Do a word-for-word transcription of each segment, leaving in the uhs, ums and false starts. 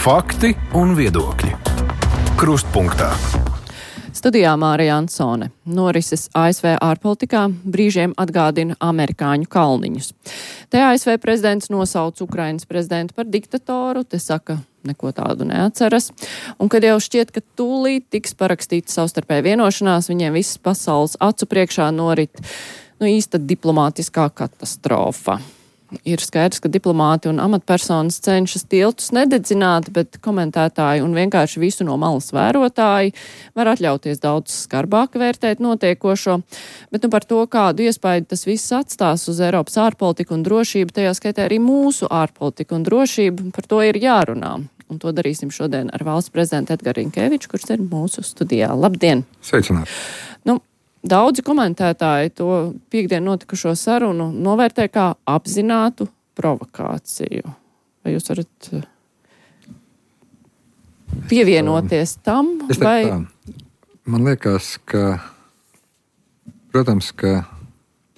Fakti un viedokļi. Krustpunktā. Studijā Mārija Ansone. Norises A S V ārpolitikā brīžiem atgādina amerikāņu kalniņus. Te A S V prezidents nosauc Ukrainas prezidentu par diktatoru, te saka, neko tādu neatceras. Un kad jau šķiet, ka tūlīt tiks parakstīta savstarpēja vienošanās, viņiem visas pasaules acu priekšā norit nu, īsta diplomātiskā katastrofa. Ir skaidrs, ka diplomāti un amatpersonas cenšas tiltus nededzināt, bet komentētāji un vienkārši visu no malas vērotāji var atļauties daudz skarbāk vērtēt notiekošo. Bet nu par to, kādu iespēju tas viss atstās uz Eiropas ārpolitiku un drošību, tajā skaitā arī mūsu ārpolitiku un drošību, par to ir jārunā. Un to darīsim šodien ar valsts prezidentu Edgars Rinkeviču, kurš ir mūsu studijā. Labdien! Sveicināti! Nu, Daudzi komentētāji to piekdien notikušo sarunu novērtē kā apzinātu provokāciju. Vai jūs varat pievienoties tam? Es vai... tā, man liekas, ka, protams, ka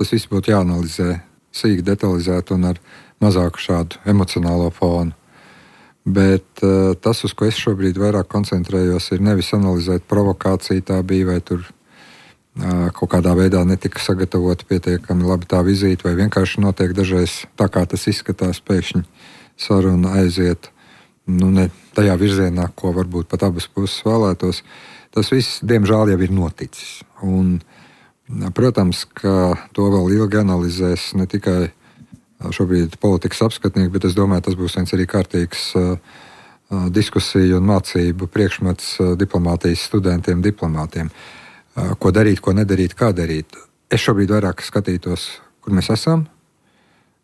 tas viss būtu jāanalizē sīki detalizēt un ar mazāku šādu emocionālo fonu. Bet uh, tas, uz ko es šobrīd vairāk koncentrējos, ir nevis analizēt provokāciju, tā bija vai tur kaut kādā veidā netika sagatavota pietiekami labi tā vizīte, vai vienkārši notiek dažreiz tā, kā tas izskatās, pēkšņi saruna aiziet nu, ne tajā virzienā, ko varbūt pat abas puses vēlētos. Tas viss, diemžēl, jau ir noticis. Un, protams, ka to vēl ilgi analizēs ne tikai šobrīd politikas apskatnieki, bet es domāju, tas būs viens arī kārtīgs uh, diskusiju un mācību priekšmets uh, diplomātijas studentiem, diplomātiem. Ko darīt, ko nedarīt, kā darīt. Es šobrīd vairāk skatītos, kur mēs esam,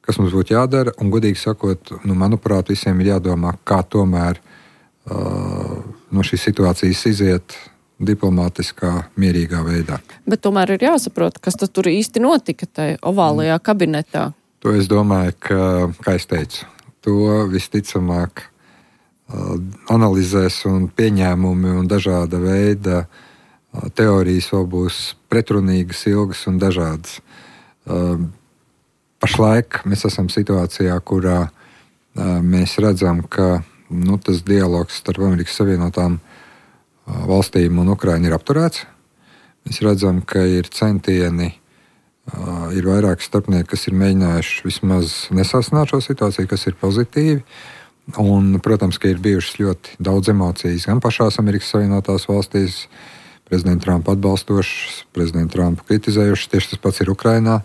kas mums būtu jādara, un godīgi sakot, nu, manuprāt, visiem ir jādomā, kā tomēr uh, no šīs situācijas iziet diplomātiskā, mierīgā veidā. Bet tomēr ir jāsaprot, kas tad tur īsti notika tajā ovālajā kabinetā. To es domāju, ka, kā es teicu, to visticamāk uh, analizēs un pieņēmumi un dažāda veida teorijas vēl būs pretrunīgas, ilgas un dažādas. Uh, pašlaik mēs esam situācijā, kurā uh, mēs redzam, ka nu, tas dialogs starp Amerikas Savienotām uh, valstīm un Ukrainu ir apturēts. Mēs redzam, ka ir centieni, uh, ir vairāki starpnieki, kas ir mēģinājuši vismaz nesāsināt šo situāciju, kas ir pozitīvi. Un, protams, ka ir bijušas ļoti daudz emocijas gan pašās Amerikas Savienotās valstīs, prezidentu Trumpu atbalstošs, prezidentu Trumpu kritizējušs. Tieši tas pats ir Ukrainā,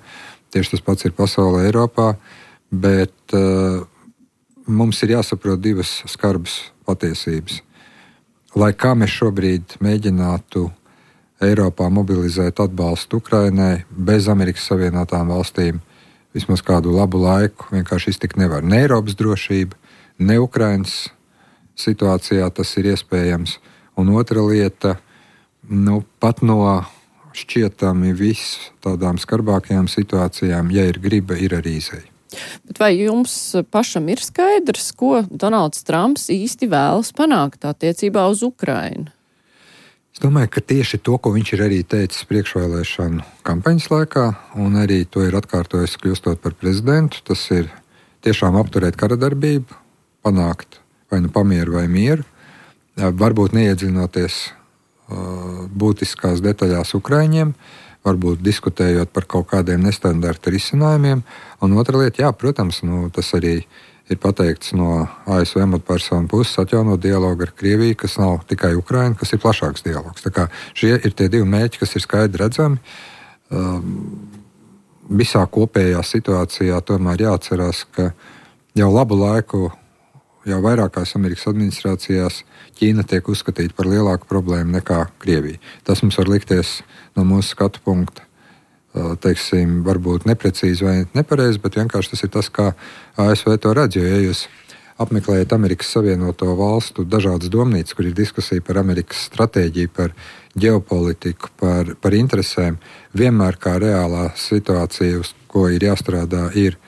tieši tas pats ir pasaulē, Eiropā. Bet uh, mums ir jāsaprot divas skarbas patiesības. Lai kā mēs šobrīd mēģinātu Eiropā mobilizēt atbalstu Ukrainai, bez Amerikas Savienotām valstīm vismaz kādu labu laiku vienkārši iztikt nevar. Ne Eiropas drošība, ne Ukrainas situācijā tas ir iespējams. Un otra lieta, nu, pat no šķietami viss tādām skarbākajām situācijām, ja ir griba, ir arī izēja. Bet vai jums pašam ir skaidrs, ko Donalds Trumps īsti vēlas panākt attiecībā uz Ukrainu? Es domāju, ka tieši to, ko viņš ir arī teicis priekšvēlēšanu kampaņas laikā, un arī to ir atkārtojis kļūstot par prezidentu, tas ir tiešām apturēt kara darbību, panākt vai nu pamieru vai mieru, varbūt neiedziļinoties būtiskās detaļās Ukraiņiem, varbūt diskutējot par kaut kādiem nestandarta risinājumiem. Un otra lieta, jā, protams, nu, tas arī ir pateikts no A S V amatpersonu puses, atjaunot dialogu ar Krieviju, kas nav tikai Ukraina, kas ir plašāks dialogs. Tā kā šie ir tie divi mērķi, kas ir skaidri redzami. Visā kopējā situācijā tomēr jāatcerās, ka jau labu laiku, jau vairākās Amerikas administrācijās Ķīna tiek uzskatīta par lielāku problēmu nekā Krievija. Tas mums var likties no mūsu skatu punkta, teiksim, varbūt neprecīzi vai nepareizi, bet vienkārši tas ir tas, kā A S V to redz. Jo, ja jūs apmeklējat Amerikas Savienoto valstu dažādas domnīcas, kur ir diskusija par Amerikas stratēģiju, par ģeopolitiku, par, par interesēm, vienmēr kā reālā situācija, uz ko ir jāstrādā, ir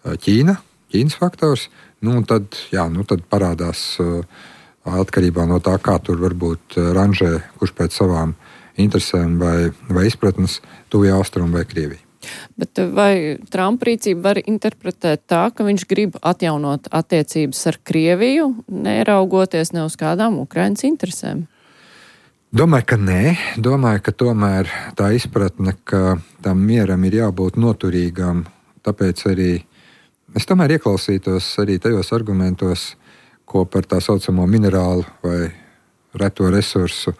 Ķīna, Ķīnas faktors. Nu, tad, jā, nu, tad parādās uh, atkarībā no tā, kā tur varbūt ranžē, kurš pēc savām interesēm vai, vai izpratnes, Tuvijā Austrumu vai Krieviju. Bet vai Trumpa rīcība var interpretēt tā, ka viņš grib atjaunot attiecības ar Krieviju, neraugoties ne uz kādām Ukrainas interesēm? Domāju, ka nē. Domāju, ka tomēr tā izpratne, ka tam mieram ir jābūt noturīgam, tāpēc arī es tomēr ieklausītos arī tajos argumentos, ko par tā saucamo minerālu vai reto resursu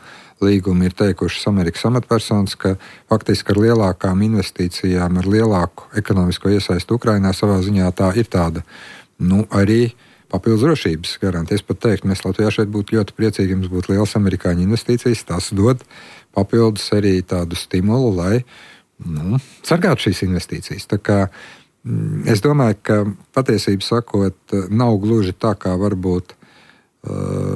līgumu ir teikušas Amerikas amatpersonas, ka faktiski ar lielākām investīcijām, ar lielāku ekonomisko iesaistu Ukrainā savā ziņā tā ir tāda, nu, arī papildus drošības garantija. Es pat teiktu, mēs Latvijā šeit būtu ļoti priecīgi, jums būtu liels amerikāņu investīcijas, tas dod papildus arī tādu stimulu, lai, nu, sargātu šīs investīcijas. Tā kā es domāju, ka patiesību sakot, nav gluži tā, kā varbūt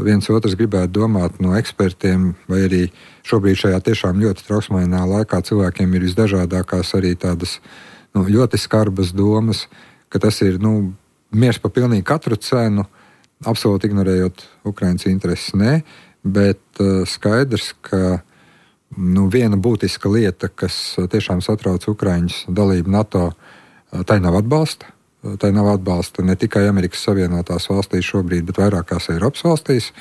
viens otrs gribētu domāt no ekspertiem, vai arī šobrīd šajā tiešām ļoti trauksmainā laikā cilvēkiem ir visdažādākās arī tādas, nu, ļoti skarbas domas, ka tas ir, nu, miers pa pilnīgi katru cenu, absolūti ignorējot Ukrainas intereses. Nē, bet uh, skaidrs, ka nu, viena būtiska lieta, kas tiešām satrauc Ukraiņus dalību NATO, uh, tai nav atbalsta. Tā nav atbalsta ne tikai Amerikas Savienotās valstīs šobrīd, bet vairākās Eiropas valstīs.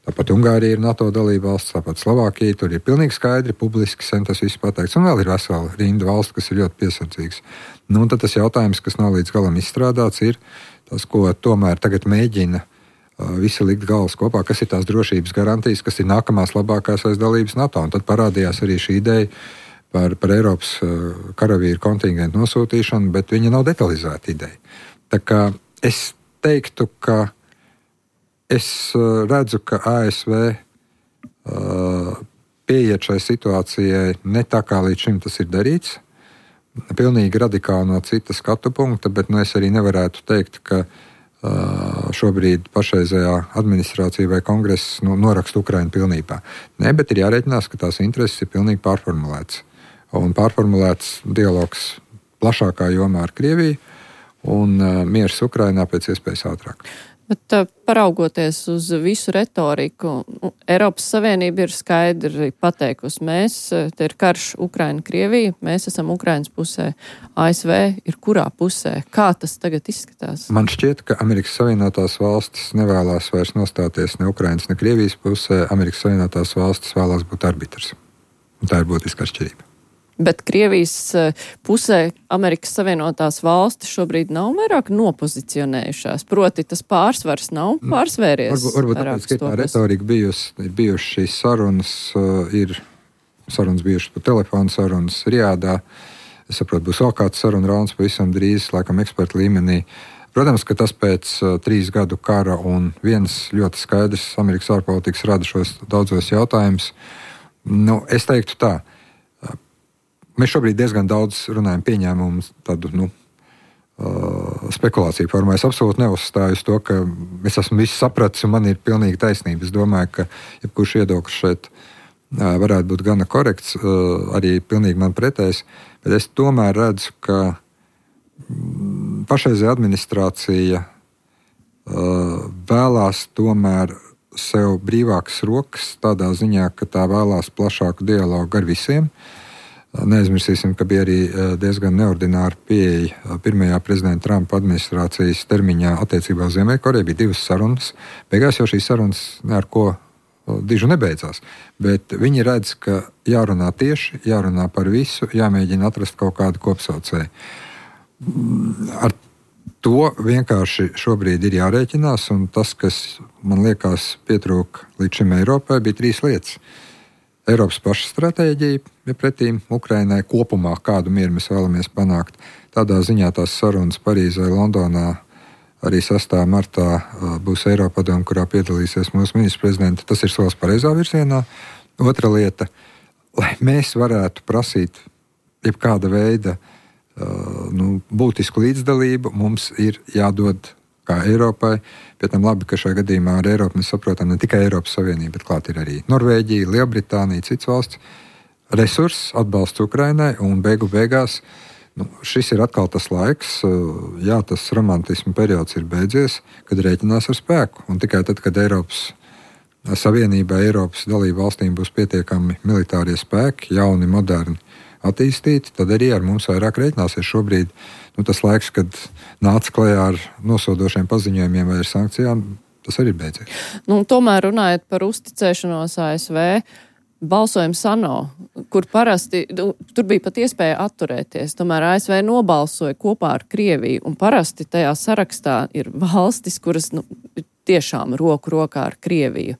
Tāpat Ungārija ir NATO dalība valsts, tāpat Slovākija. Tur ir pilnīgi skaidri, publiski sen tas viss pateikts. Un vēl ir vesela rinda valsts, kas ir ļoti piesardzīgas. Nu, un tad tas jautājums, kas nav līdz galam izstrādāts, ir tas, ko tomēr tagad mēģina uh, visi likt galvas kopā, kas ir tās drošības garantijas, kas ir nākamās labākās aiz dalības NATO. Un tad parādījās arī šī ideja Par, par Eiropas uh, karavīru kontingentu nosūtīšanu, bet viņa nav detalizēta ideja. Tā kā es teiktu, ka es uh, redzu, ka A S V uh, pieiet šai situācijai ne tā, kā līdz šim tas ir darīts, pilnīgi radikāli no cita skatu punkta, bet nu, es arī nevarētu teikt, ka uh, šobrīd pašreizējā administrācija vai kongress nu, noraksta Ukrainu pilnībā. Nē, bet ir jārēķinās, ka tās intereses ir pilnīgi pārformulētas. Un pārformulēts dialogs plašākā jomā ar Krieviju un uh, miers Ukrainā pēc iespējas ātrāk. Bet uh, paraugoties uz visu retoriku, Eiropas Savienība ir skaidri pateikusi, mēs, te ir karš Ukraina-Krievija, mēs esam Ukrainas pusē, A S V ir kurā pusē? Kā tas tagad izskatās? Man šķiet, ka Amerikas Savienotās valstis nevēlās vairs nostāties ne Ukrainas, ne Krievijas pusē. Amerikas Savienotās valstis vēlās būt arbitrs. Un tā ir būtiska atšķirība. Bet Krievijas pusē Amerikas Savienotās valstis šobrīd nav vairāk nopozicionējušās. Proti, tas pārsvars nav pārsvēries. Varbūt, varbūt tāpēc, ka tā retorika bijusi, ir bijušas šīs sarunas, ir sarunas bijušas pa telefonu sarunas Riādā. Es saprotu, būs vēl kāds saruna rauns pavisam drīz, laikam ekspertu līmenī. Protams, ka tas pēc uh, trīs gadu kara un viens ļoti skaidrs Amerikas ārpolitikas rada šos daudzos jautājumus. Nu, es teiktu tā. Mēs šobrīd diezgan daudz runājam pieņēmumu tādu, nu, uh, spekulāciju formā. Es absolūti neuzstāju uz to, ka es esmu visu sapratis un man ir pilnīgi taisnība. Es domāju, ka jebkurš viedoklis šeit uh, varētu būt gana korekts, uh, arī pilnīgi man pretējs, bet es tomēr redzu, ka mm, pašreizējā administrācija uh, vēlās tomēr sev brīvākas rokas tādā ziņā, ka tā vēlās plašāku dialogu ar visiem. Neaizmirsīsim, ka bija arī diezgan neordināra pieeja pirmajā prezidenta Trumpa administrācijas termiņā attiecībā uz Ziemeļkoreju. Bija divas sarunas. Beigās jau šīs sarunas ar ko dižu nebeidzās. Bet viņi redz, ka jārunā tieši, jārunā par visu, jāmēģina atrast kaut kādu kopsaucēju. Ar to vienkārši šobrīd ir jārēķinās, un tas, kas man liekas pietrūka līdz šim Eiropai, bija trīs lietas. Eiropas paša stratēģija ir pretīm Ukrainai kopumā, kādu mieru mēs vēlamies panākt. Tādā ziņā tās sarunas Parīzē, Londonā, arī sastā martā būs Eiropadome, kurā piedalīsies mūsu ministrs prezidents. Tas ir solis pareizā virzienā. Otra lieta, lai mēs varētu prasīt jebkāda veida nu, būtisku līdzdalību, mums ir jādod kā Eiropai. Pēc tam labi, ka šajā gadījumā ar Eiropu mēs saprotam ne tikai Eiropas Savienību, bet klāt ir arī Norvēģija, Lielbritānija, cits valsts. Resurss, atbalsts Ukrainai un beigu beigās nu, šis ir atkal tas laiks, jā, tas romantismu periods ir beidzies, kad rēķinās ar spēku. Un tikai tad, kad Eiropas Savienībai, Eiropas dalību valstīm būs pietiekami militārie spēki, jauni, moderni attīstīti, tad arī ar mums vairāk reiķināsies. Šobrīd nu, tas laiks, kad nāca klajā ar nosodošiem paziņojumiem vai ar sankcijām, tas arī ir beidzies. Nu, tomēr runājot par uzticēšanos A S V, balsojums ANO, kur parasti, tur bija pat iespēja atturēties, tomēr A S V nobalsoja kopā ar Krieviju, un parasti tajā sarakstā ir valstis, kuras nu, tiešām roku rokā ar Krieviju.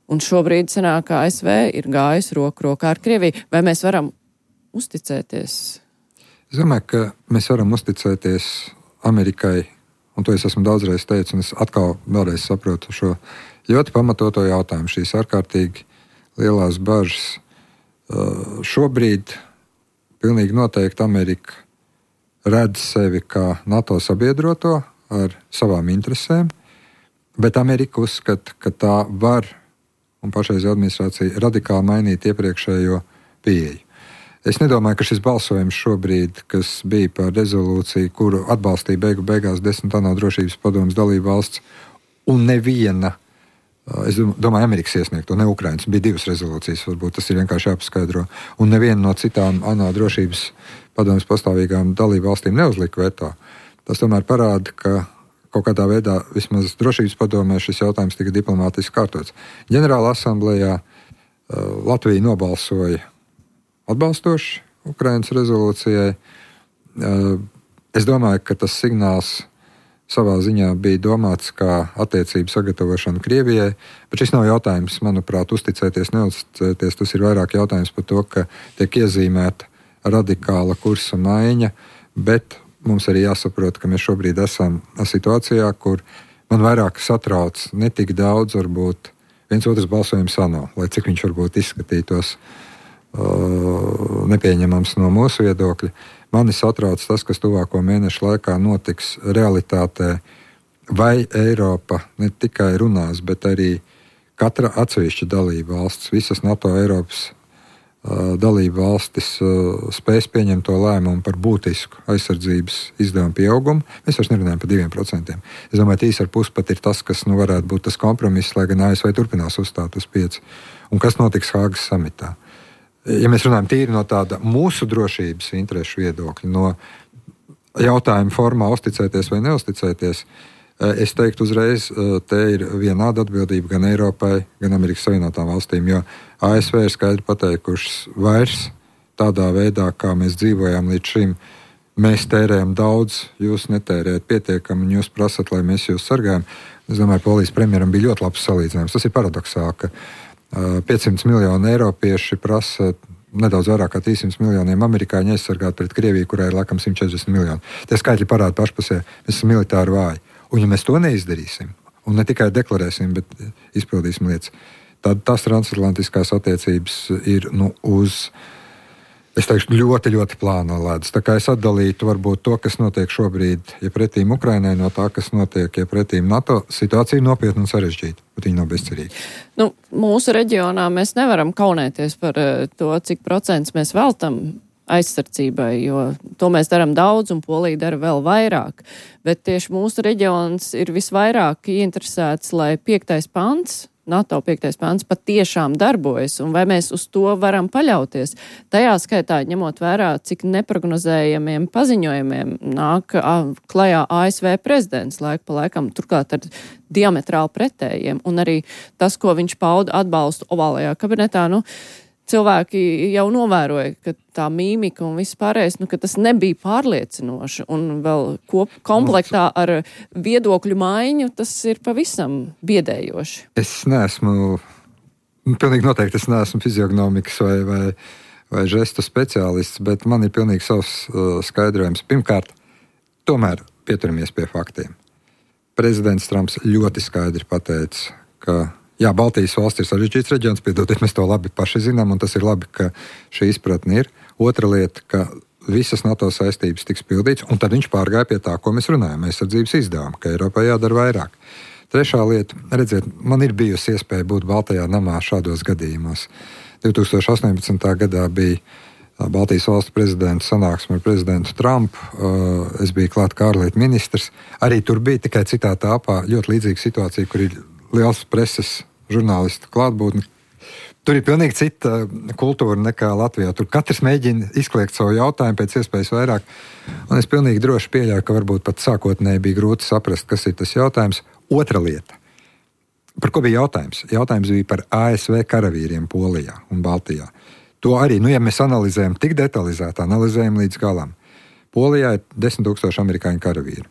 Un šobrīd sanāk, ka A S V ir gājis roku rokā ar Krieviju. Vai mēs varam uzticēties? Es domāju, ka mēs varam uzticēties Amerikai, un to es esmu daudzreiz teicis, un es atkal vēlreiz saprotu šo ļoti pamatoto jautājumu, šīs ārkārtīgi lielās bažas. Uh, šobrīd pilnīgi noteikti Amerika redz sevi kā NATO sabiedroto ar savām interesēm, bet Amerika uzskata, ka tā var, un pašreizējā administrācija, radikāli mainīt iepriekšējo pieeju. Es nedomāju, ka šis balsojums šobrīd, kas bija par rezolūciju, kuru atbalstīja beigu beigās desmit ANO drošības padomes dalību valsts, un neviena, es domāju, Amerikas iesniegto, ne Ukrainas, bija divas rezolūcijas, varbūt tas ir vienkārši jāpaskaidro, un neviena no citām ANO drošības padomes pastāvīgām dalību valstīm neuzlika veto. Tas tomēr parāda, ka kaut kādā veidā vismaz drošības padomē šis jautājums tika diplomātiski kārtots. Ģenerāla asamblējā Latvija nobalsoja atbalstoši Ukrainas rezolūcijai. Es domāju, ka tas signāls savā ziņā bija domāts kā attiecību sagatavošana Krievijai, bet šis nav jautājums, manuprāt, uzticēties, neuzticēties. Tas ir vairāk jautājums par to, ka tiek iezīmēta radikāla kursa maiņa, bet mums arī jāsaprot, ka mēs šobrīd esam situācijā, kur man vairāk satrauc ne tik daudz, varbūt viens otrs balsojums ANO, lai cik viņš varbūt izskatītos Uh, nepieņemams no mūsu viedokļa. Mani satrauc tas, kas tuvāko mēnešu laikā notiks realitātē, vai Eiropa ne tikai runās, bet arī katra atsevišķa dalība valsts, visas NATO Eiropas uh, dalība valstis uh, spēs pieņemt to lēmumu par būtisku aizsardzības izdevumu pieaugumu. Mēs vairs nerunājam par diviem procentiem. Es domāju, trīs ar pus pat ir tas, kas nu, varētu būt tas kompromiss, lai gan A S V turpinās uzstāt uz pieci. Un kas notiks Hāgas samitā? Ja mēs runājam tīri no tāda mūsu drošības interešu viedokļa, no jautājuma formā uzticēties vai neuzticēties, es teiktu uzreiz, te ir vienāda atbildība gan Eiropai, gan Amerikas Savienotām valstīm, jo A S V ir skaidri pateikušas vairs tādā veidā, kā mēs dzīvojām līdz šim. Mēs tērējam daudz, jūs netērējat pietiekami, un jūs prasat, lai mēs jūs sargājam. Es domāju, Polijas premjeram bija ļoti labs salīdzinājums. Tas ir paradoksāli, ka piecsimt miljoni eiropieši prasa nedaudz vairāk kā trīssimts miljoniem amerikāņu aizsargāt pret Krieviju, kurai ir laikam simt četrdesmit miljoni. Tie skaitļi parāda pašpusē, mēs esam militāri vāji. Un ja mēs to neizdarīsim, un ne tikai deklarēsim, bet izpildīsim lietas, tad tās transatlantiskās attiecības ir nu, uz, es teikšu, ļoti, ļoti plāno ledus. Tā kā es atdalītu varbūt to, kas notiek šobrīd, ja pretīm Ukrainai, no tā, kas notiek, ja pretīm NATO, situācija ir nopietna un sarežģīta, bet viņa nav bezcerīga. Nu, mūsu reģionā mēs nevaram kaunēties par to, cik procents mēs veltam aizsardzībai, jo to mēs darām daudz un Polija dara vēl vairāk. Bet tieši mūsu reģions ir visvairāk ieinteresēts, lai piektais pants, NATO piektais pants patiešām darbojas, un vai mēs uz to varam paļauties. Tajā skaitā, ņemot vērā, cik neprognozējamiem paziņojumiem nāk klajā A S V prezidents laiku pa laikam, turklāt ar diametrāli pretējiem, un arī tas, ko viņš pauda atbalstu ovālajā kabinetā, nu, cilvēki jau novēroja, ka tā mīmika un viss pārējais, nu, ka tas nebija pārliecinoši, un vēl kop, komplektā ar viedokļu maiņu, tas ir pavisam biedējoši. Es neesmu, pilnīgi noteikti es neesmu fiziognomikas vai, vai, vai žestu speciālists, bet man ir pilnīgi savs uh, skaidrojums. Pirmkārt, tomēr pieturamies pie faktiem. Prezidents Trumps ļoti skaidri pateica, ka jā, Baltijas valsts ir sarežģīts reģions, piedodiet, mēs to labi paši zinām, un tas ir labi, ka šī izpratne ir. Otra lieta, ka visas NATO saistības tiks pildīts, un tad viņš pārgāja pie tā, ko mēs runājam, aizsardzības izdevumu, ka Eiropai jādara vairāk. Trešā lieta, redziet, man ir bijusi iespēja būt Baltajā namā šādos gadījumos. divi tūkstoši astoņpadsmitā gadā bija Baltijas valstu prezidenta sanāksme ar prezidentu Trumpu, es biju klāt kā ārlietu ministrs, arī tur bija tikai citā tāpā ļoti līdzīga situācija, kur ir liels preses žurnālistu klātbūtni. Tur ir pilnīgi cita kultūra nekā Latvijā. Tur katrs mēģina izkliegt savu jautājumu pēc iespējas vairāk. Un es pilnīgi droši pieļauju, ka varbūt pat sākotnēji bija grūti saprast, kas ir tas jautājums. Otra lieta. Par ko bija jautājums? Jautājums bija par A S V karavīriem Polijā un Baltijā. To arī, nu ja mēs analizējam tik detalizēti, analizējam līdz galam. Polijā ir desmit tūkstoši amerikāņu karavīri.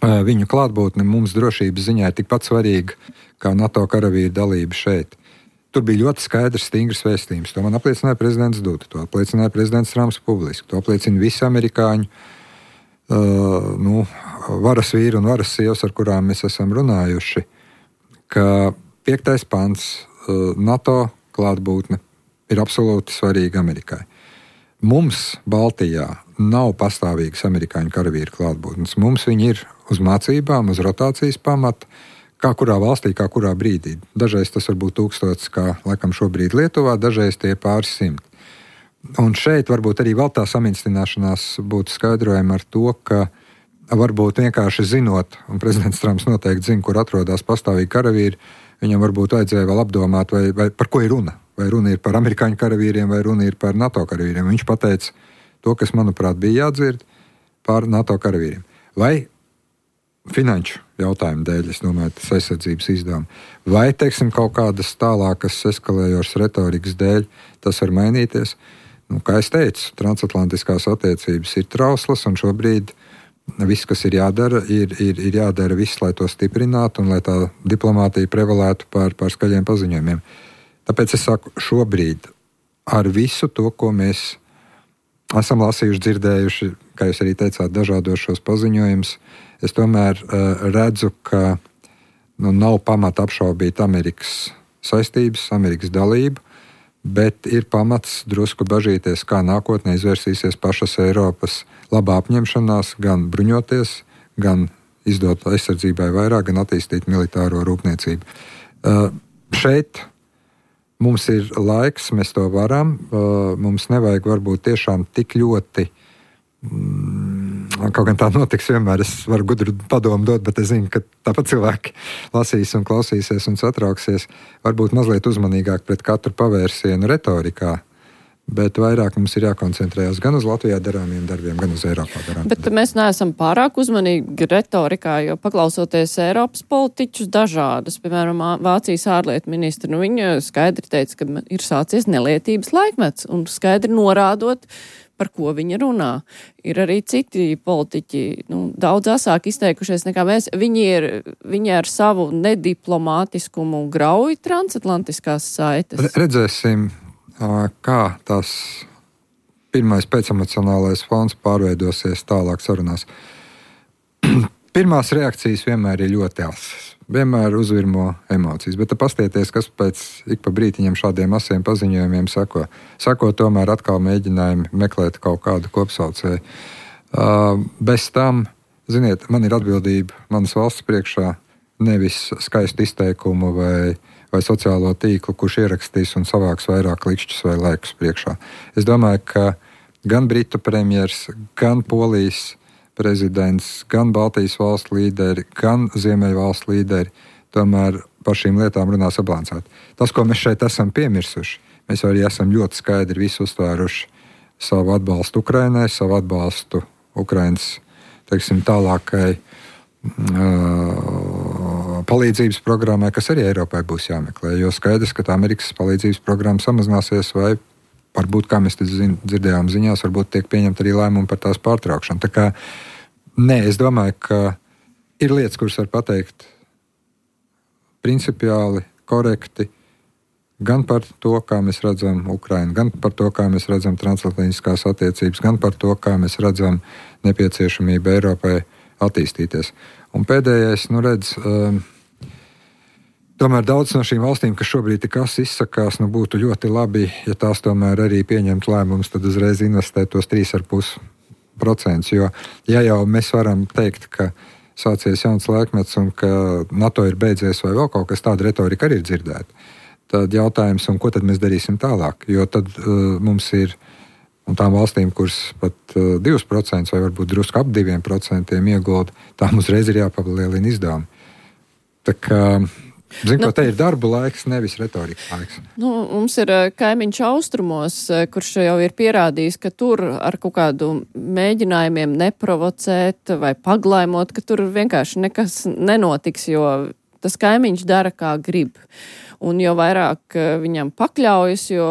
Viņu klātbūtne mums drošības ziņā ir tikpat svarīga kā NATO karavīru dalība šeit. Tur bija ļoti skaidrs, stingrs vēstījums. To man apliecināja prezidents Duda, to apliecināja prezidents Trumps publiski, to apliecina visi amerikāņu uh, nu, varas vīri un varas sievas, ar kurām mēs esam runājuši, ka piektais pants uh, NATO klātbūtne ir absolūti svarīga Amerikai. Mums Baltijā nav pastāvīgas amerikāņu karavīru klātbūtnes. Mums viņi ir uz mācībām, uz rotācijas pamata, kā kurā valstī, kā kurā brīdī. Dažreiz tas var būt tūkstots, kā laikam šobrīd Lietuvā, dažreiz tie pāris simt. Un šeit varbūt arī vēl tā samincināšanās būtu skaidrojama ar to, ka varbūt vienkārši zinot, un prezidents Trumps noteikti zina, kur atrodas pastāvīgi karavīri, viņam varbūt vajadzēja vēl apdomāt, vai, vai par ko ir runa. Vai runa ir par amerikāņu karavīriem, vai runa ir par NATO karavīriem. Viņš pateica to, kas, manuprāt, bija jādzird par NATO karavīriem. Vai finanšu jautājumu dēļ, es domāju, tas aizsardzības izdevumi. Vai, teiksim, kaut kādas tālākas eskalējošas retorikas dēļ tas var mainīties? Nu, kā es teicu, transatlantiskās attiecības ir trauslas, un šobrīd viss, kas ir jādara, ir, ir, ir jādara viss, lai to stiprinātu un lai tā diplomātija prevalētu pār, pār skaļiem paziņojumiem. Tāpēc es saku, šobrīd ar visu to, ko mēs esam lasījuši, dzirdējuši, kā jūs arī teicāt, dažādos šos paziņojumus, es tomēr uh, redzu, ka nu, nav pamata apšaubīt Amerikas saistības, Amerikas dalību, bet ir pamats drusku bažīties, kā nākotnē izvērsīsies pašas Eiropas labā apņemšanās, gan bruņoties, gan izdot aizsardzībai vairāk, gan attīstīt militāro rūpniecību. Uh, šeit mums ir laiks, mēs to varam, uh, mums nevajag varbūt tiešām tik ļoti. Kaut gan tā notiks vienmēr, es varu gudru padomu dot, bet es zinu, ka tāpat cilvēki lasīs un klausīsies un satrauksies. Varbūt mazliet uzmanīgāk pret katru pavērsienu retorikā, bet vairāk mums ir jākoncentrējas gan uz Latvijā darāmiem darbiem, gan uz Eiropā darāmiem. Bet mēs neesam pārāk uzmanīgi retorikā, jo paklausoties Eiropas politiķus dažādas, piemēram, Vācijas ārlietu ministri, nu viņa skaidri teica, ka ir sācies nelietības laikmets un skaidri norādot, par ko viņa runā. Ir arī citi politiķi, nu, daudz asāk izteikušies nekā mēs. Viņi, ir, viņi ar savu nediplomātiskumu grauj transatlantiskās saites. Redzēsim, kā tās pirmais pēcemocionālais fons pārveidosies tālāk sarunās. Pirmās reakcijas vienmēr ir ļoti asas. Vienmēr uzvirmo emocijas, bet pastieties, kas pēc ik pa brītiņam šādiem asiem paziņojumiem sako. Sako tomēr atkal mēģinājumi meklēt kaut kādu kopsaucēju. Uh, bez tam, ziniet, man ir atbildība manas valsts priekšā, nevis skaistu izteikumu vai, vai sociālo tīklu, kurš ierakstīs un savāks vairāk likšķus vai laikus priekšā. Es domāju, ka gan Britu premjers, gan Polijas prezidents, gan Baltijas valstu līderi, gan Ziemeļu valstu līderi tomēr par šīm lietām runā sabalansēti. Tas, ko mēs šeit esam piemirsuši, mēs arī esam ļoti skaidri visu uztvēruši savu atbalstu Ukrainai, savu atbalstu Ukrainas, teiksim, tālākai uh, palīdzības programmai, kas arī Eiropai būs jāmeklē, jo skaidrs, ka tā Amerikas palīdzības programma samazināsies vai varbūt, kā mēs zin, dzirdējām ziņās, varbūt tiek pieņemt arī lēmumu par tās pārtraukšanu. Tā kā, nē, es domāju, ka ir lietas, kuras var pateikt principiāli, korekti, gan par to, kā mēs redzam Ukrainu, gan par to, kā mēs redzam transatlantiskās attiecības, gan par to, kā mēs redzam nepieciešamību Eiropai attīstīties. Un pēdējais, nu redz, um, tomēr daudz no šīm valstīm, kas šobrīd tik asi izsakās, nu būtu ļoti labi, ja tās tomēr arī pieņemt lēmumus, tad uzreiz investēt tos trīs ar pus procentus. Jo, ja jau mēs varam teikt, ka sācies jauns laikmets un ka NATO ir beidzies vai vēl kaut kas tāda retorika arī ir dzirdēta, tad jautājums, un ko tad mēs darīsim tālāk? Jo tad uh, mums ir, un tām valstīm, kuras pat uh, divus procentus vai varbūt drusku ap diviem procentiem iegulda, tām uzreiz ir jāpalielina izdevumi. Tā kā Zinu, Nu, ka te ir darba laiks, nevis retorikas laiks. Nu, mums ir kaimiņš austrumos, kurš jau ir pierādījis, ka tur ar kaut kādu mēģinājumiem neprovocēt vai paglaimot, ka tur vienkārši nekas nenotiks, jo tas kaimiņš dara, kā grib. Un jo vairāk viņam pakļaujas, jo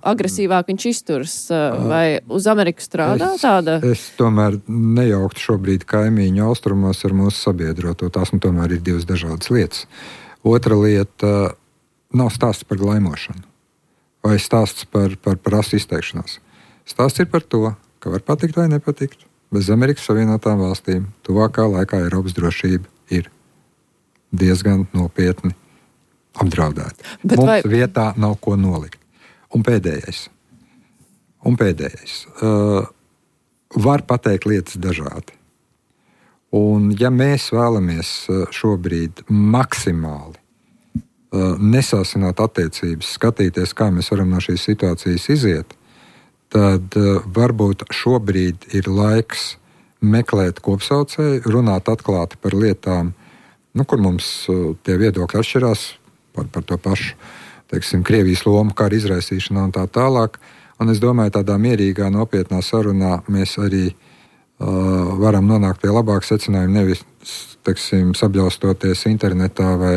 agresīvāk viņš izturs. Vai uz Ameriku strādā es, tāda? Es tomēr nejauktu šobrīd kaimiņu austrumos ar mūsu sabiedroto. Tās nu tomēr ir divas dažādas lietas. Otra lieta nav stāsts par glaimošanu vai stāsts par, par, par asu izteikšanos. Stāsts ir par to, ka var patikt vai nepatikt. Bez Amerikas Savienotām valstīm tuvākā laikā Eiropas drošība ir diezgan nopietni apdraudēta. Bet Mums vai... vietā nav ko nolikt. Un pēdējais. Un pēdējais. Uh, var pateikt lietas dažādi. Un ja mēs vēlamies šobrīd maksimāli uh, nesāsināt attiecības, skatīties, kā mēs varam no šīs situācijas iziet, tad uh, varbūt šobrīd ir laiks meklēt kopsaucēju, runāt atklāti par lietām, nu, kur mums uh, tie viedokļi atšķirās par, par to pašu. Teiksim, Krievijas lomu kara izraisīšanā un tā tālāk. Un es domāju, tādā mierīgā, nopietnā sarunā mēs arī uh, varam nonākt pie labāka secinājuma, nevis, teiksim, sabļaustoties internetā vai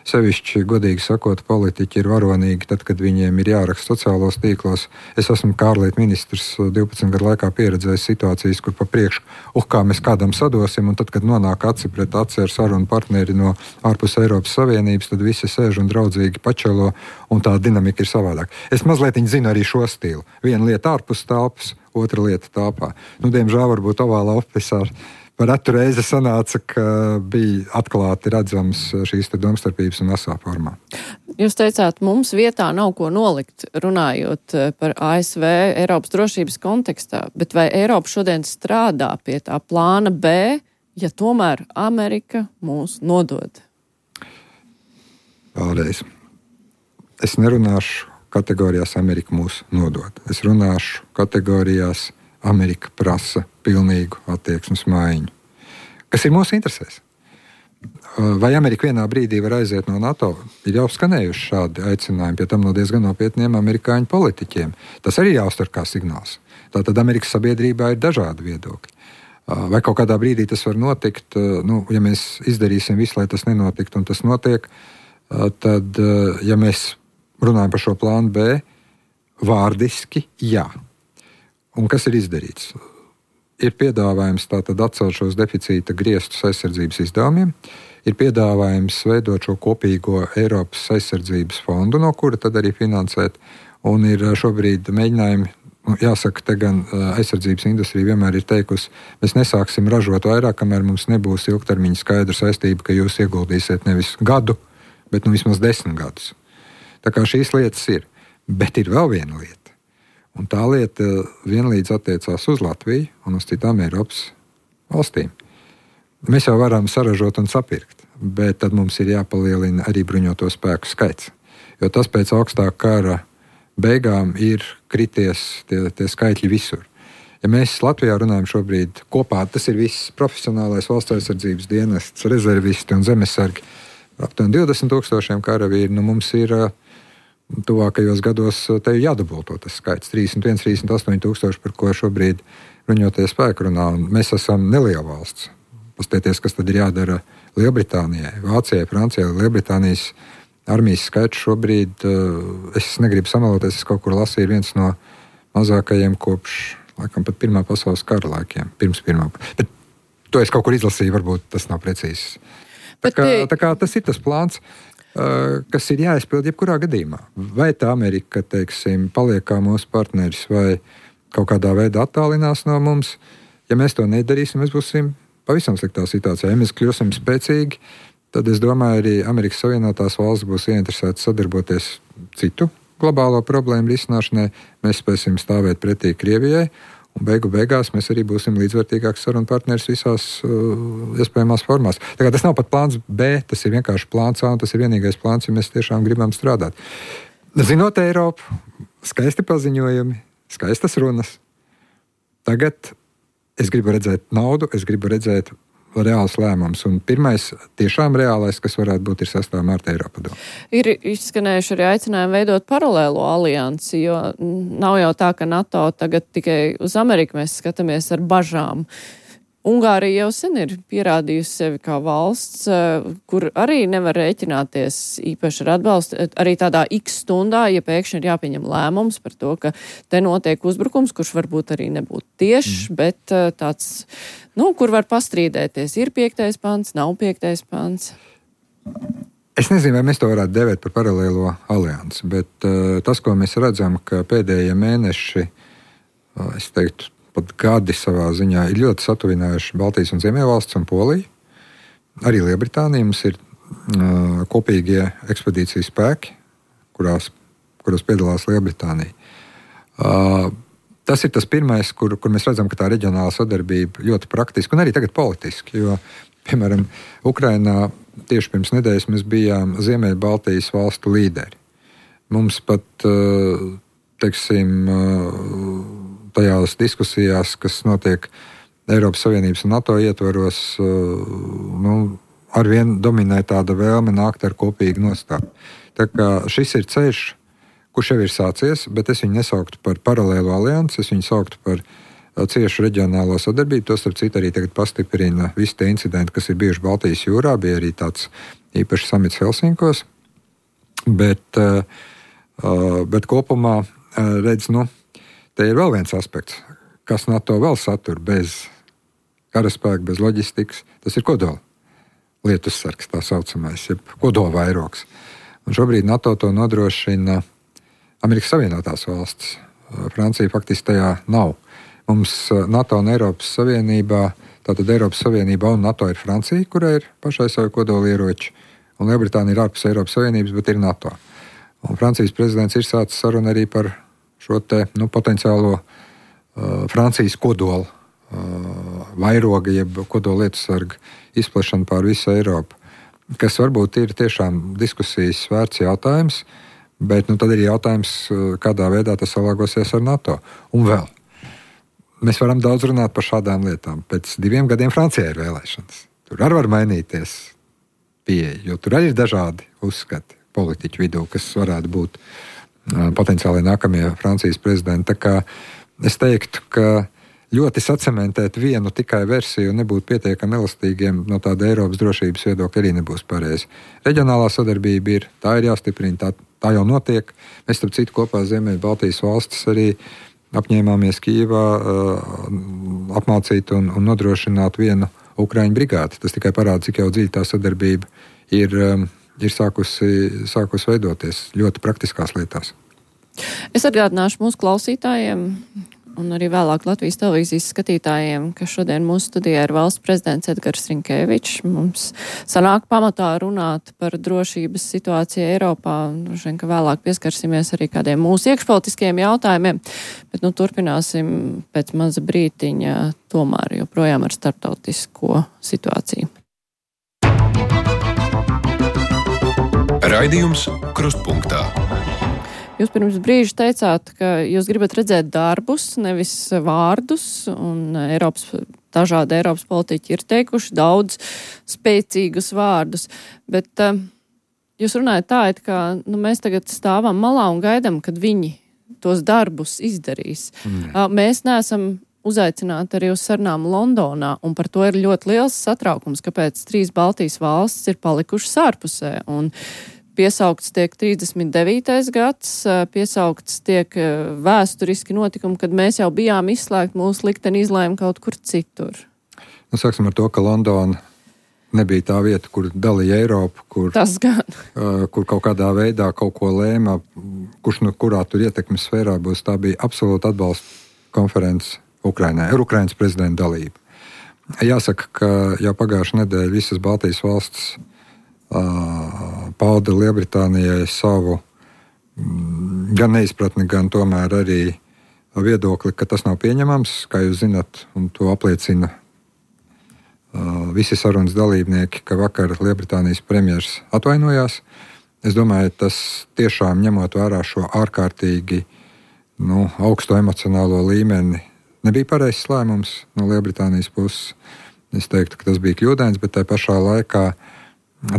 sevišķi, godīgi sakot, politiķi ir varonīgi tad, kad viņiem ir jāraksta sociālos tīklos. Es esmu kā ārlietu ministrs divpadsmit gadu laikā pieredzējis situācijas, kur pa priekšu, uh, kā mēs kādam sadosim, un tad, kad nonāk aci pret aci ar sarunu partneri no ārpus Eiropas Savienības, tad visi sēž un draudzīgi pačelo, un tā dinamika ir savādāk. Es mazliet zinu arī šo stilu. Viena lieta ārpus telpas, otra lieta telpā. Nu, diemžēl varbūt ovālā ofisā par retu reizi sanāca, ka bija atklāti redzams šīs te domstarpības un asā formā. Jūs teicāt, mums vietā nav ko nolikt, runājot par A S V Eiropas drošības kontekstā, bet vai Eiropa šodien strādā pie tā plāna B, ja tomēr Amerika mūs nodod? Vēlreiz. Es nerunāšu kategorijās Amerika mūs nodod. Es runāšu kategorijās Amerika prasa pilnīgu attieksmes maiņu. Kas ir mūsu interesēs? Vai Amerika vienā brīdī var aiziet no NATO? Ir jau skanējuši šādi aicinājumi, pie tam no diezgan nopietniem amerikāņu politiķiem. Tas arī jāuztver kā signāls. Tātad Amerikas sabiedrībā ir dažādi viedokļi. Vai kaut kādā brīdī tas var notikt? Nu, ja mēs izdarīsim visu, lai tas nenotiktu, un tas notiek, tad, ja mēs runājam par šo plānu B, vārdiski jā. Un kas ir izdarīts? Ir piedāvājums tātad atcelt šos deficīta griestus aizsardzības izdevumiem, ir piedāvājums veidot šo kopīgo Eiropas aizsardzības fondu, no kura tad arī finansēt, un ir šobrīd mēģinājumi, nu, jāsaka, te gan aizsardzības industrija vienmēr ir teikusi, mēs nesāksim ražot vairāk, kamēr mums nebūs ilgtermiņa skaidra saistība, ka jūs ieguldīsiet nevis gadu, bet nu vismaz desmit gadus. Tā kā šīs lietas ir, bet ir vēl viena lieta. Un tā lieta vienlīdz attiecās uz Latviju un uz citām Eiropas valstīm. Mēs jau varam saražot un sapirkt, bet tad mums ir jāpalielina arī bruņoto spēku skaits. Jo tas pēc augstā kara beigām ir krities tie, tie skaitļi visur. Ja mēs Latvijā runājam šobrīd kopā, tas ir viss profesionālais valsts aizsardzības dienests, rezervisti un zemesargi, aptuveni divdesmit tūkstošiem karavīri, nu mums ir tuvākajos gados te jādubulto tas skaits, trīsdesmit viens, trīsdesmit astoņi tūkstoši, par ko šobrīd bruņotie spēki runā. Un mēs esam neliela valsts. Paskatieties, kas tad ir jādara Lielbritānijai, Vācijai, Francijai. Lielbritānijas armijas skaits šobrīd, es negribu samaloties, es kaut kur lasīju, viens no mazākajiem kopš, laikam, pat Pirmā pasaules kara laikiem. Pirms pirmā. Bet to es kaut kur izlasīju, varbūt tas nav precīzi. Tā kā, tā kā tas ir tas plāns, kas ir jāizpild jebkurā gadījumā. Vai tā Amerika, teiksim, paliek kā mūsu partneris vai kaut kādā veidā attālinās no mums. Ja mēs to nedarīsim, mēs būsim pavisam sliktā situācijā. Ja mēs kļūsim spēcīgi, tad es domāju, arī Amerikas Savienotās valsts būs ieinteresētas sadarboties citu globālo problēmu risināšanai. Mēs spēsim stāvēt pretī Krievijai, un beigu beigās mēs arī būsim līdzvērtīgāks sarunu partneris visās uh, iespējamās formās. Tā kā tas nav pat plāns B, tas ir vienkārši plāns A, un tas ir vienīgais plāns, ja mēs tiešām gribam strādāt. Zinot Eiropu, skaisti paziņojumi, skaistas runas. Tagad es gribu redzēt naudu, es gribu redzēt reāls lēmums. Un pirmais tiešām reālais, kas varētu būt, ir sestā marta Eiropadome. Ir izskanējuši arī aicinājumi veidot paralēlo aliansi, jo nav jau tā, ka NATO tagad tikai uz Ameriku mēs skatāmies ar bažām. Ungārija jau sen ir pierādījusi sevi kā valsts, kur arī nevar rēķināties īpaši ar atbalstu. Arī tādā X stundā, ja pēkšņi ir jāpieņem lēmums par to, ka te notiek uzbrukums, kurš varbūt arī nebūtu tiešs, mm. bet tāds, nu, kur var pastrīdēties. Ir piektais pants, nav piektais pants. Es nezinu, vai mēs to varētu devēt par paralēlo aliansi, bet uh, tas, ko mēs redzam, ka pēdējie mēneši, uh, es teiktu, pat gadi savā ziņā ir ļoti satuvinājuši Baltijas un Ziemeļvalsts un Poliju. Arī Lielbritānija mums ir uh, kopīgie ekspedīcijas spēki, kurās, kuros piedalās Lielbritānija. Uh, tas ir tas pirmais, kur, kur mēs redzam, ka tā reģionāla sadarbība ļoti praktiski un arī tagad politiski, jo, piemēram, Ukrainā tieši pirms nedēļas mēs bijām Ziemeļ Baltijas valstu līderi. Mums pat, uh, teiksim, uh, tajās diskusijās, kas notiek Eiropas Savienības un NATO ietvaros, nu, arvien dominē tāda vēlme nākt ar kopīgu nostāju. Tā kā šis ir ceļš, kurš jau ir sācies, bet es viņu nesauktu par paralēlo aliansi, es viņu sauktu par ciešu reģionālo sadarbību. To starp citu arī tagad pastiprina visi tie incidenti, kas ir bijuši Baltijas jūrā, bija arī tāds īpašs samits Helsinkos, bet, bet kopumā redz, nu, te ir vēl viens aspekts, kas NATO vēl satur bez karaspēka, bez loģistikas. Tas ir kodola lietussargs, tā saucamais, jeb kodola vairogs. Un šobrīd NATO to nodrošina Amerikas Savienotās valstis. Francija faktiski tajā nav. Mums NATO un Eiropas Savienībā, tātad Eiropas Savienībā un NATO ir Francija, kurai ir pašai savi kodola ieroči, un Lielbritānija ir ārpus Eiropas Savienības, bet ir NATO. Un Francijas prezidents ir sācis sarunu arī par šo te, nu, potenciālo uh, Francijas kodola uh, vairoga, jeb kodola lietusarga izplešanu pār visu Eiropu, kas varbūt ir tiešām diskusijas vērts jautājums, bet nu, tad ir jautājums, kādā veidā tas salāgosies ar NATO. Un vēl, mēs varam daudz runāt par šādām lietām. Pēc diviem gadiem Francijā ir vēlēšanas. Tur arī var mainīties pieeja, jo tur arī ir dažādi uzskati politiķu vidū, kas varētu būt potenciāli nākamie Francijas prezidenti. Tā kā es teiktu, ka ļoti sacementēt vienu tikai versiju un nebūt pietiekami elastīgiem no tāda Eiropas drošības viedokļa arī nebūs pareizi. Reģionālā sadarbība ir, tā ir jāstiprina, tā, tā jau notiek. Mēs, starp citu, kopā Ziemeļ Baltijas valstis arī apņēmāmies Kijevā uh, apmācīt un, un nodrošināt vienu Ukraiņu brigāti. Tas tikai parāda, cik jau dziļi tā sadarbība ir um, ir sākusi, sākusi veidoties ļoti praktiskās lietās. Es atgādināšu mūsu klausītājiem un arī vēlāk Latvijas televīzijas skatītājiem, ka šodien mūsu studijā ir valsts prezidents Edgars Rinkēvičs. Mums sanāk pamatā runāt par drošības situāciju Eiropā. Droši vien, ka vēlāk pieskarsimies arī kādiem mūsu iekšpolitiskiem jautājumiem, bet nu turpināsim pēc maza brītiņa tomēr joprojām ar starptautisko situāciju. Raidījums Krustpunktā. Jūs pirms brīža teicāt, ka jūs gribat redzēt darbus, nevis vārdus, un Eiropas, dažādi Eiropas politiķi ir teikuši daudz spēcīgus vārdus, bet uh, jūs runājat tā, it kā nu, mēs tagad stāvam malā un gaidām, kad viņi tos darbus izdarīs. Mm. Uh, mēs neesam uzaicināti arī uz sarunām Londonā, un par to ir ļoti liels satraukums, kāpēc trīs Baltijas valstis ir palikušas ārpusē, un piesaukts tiek trīsdesmit devītais gads, piesaukts tiek vēsturiski notikumi, kad mēs jau bijām izslēgti, mūsu likteni izlēma kaut kur citur. Nu, sāksim ar to, ka Londona nebija tā vieta, kur dalīja Eiropu, kur, uh, kur kaut kādā veidā kaut ko lēma, kurš no kurā tur ietekmes sfērā būs. Tā bija absolūta atbalsta konferences Ukrainai, ar Ukrainas prezidenta dalību. Jāsaka, ka jau pagājušā nedēļa visas Baltijas valstis uh, pauda Lielbritānijai savu mm, gan neizpratni, gan tomēr arī viedokli, ka tas nav pieņemams, kā jūs zinat, un to apliecina uh, visi sarunas dalībnieki, ka vakar Lielbritānijas premjers atvainojās. Es domāju, tas tiešām ņemot vērā šo ārkārtīgi nu, augsto emocionālo līmeni, nebija pareizs lēmums no Lielbritānijas puses. Es teiktu, ka tas bija kļūdains, bet tajā pašā laikā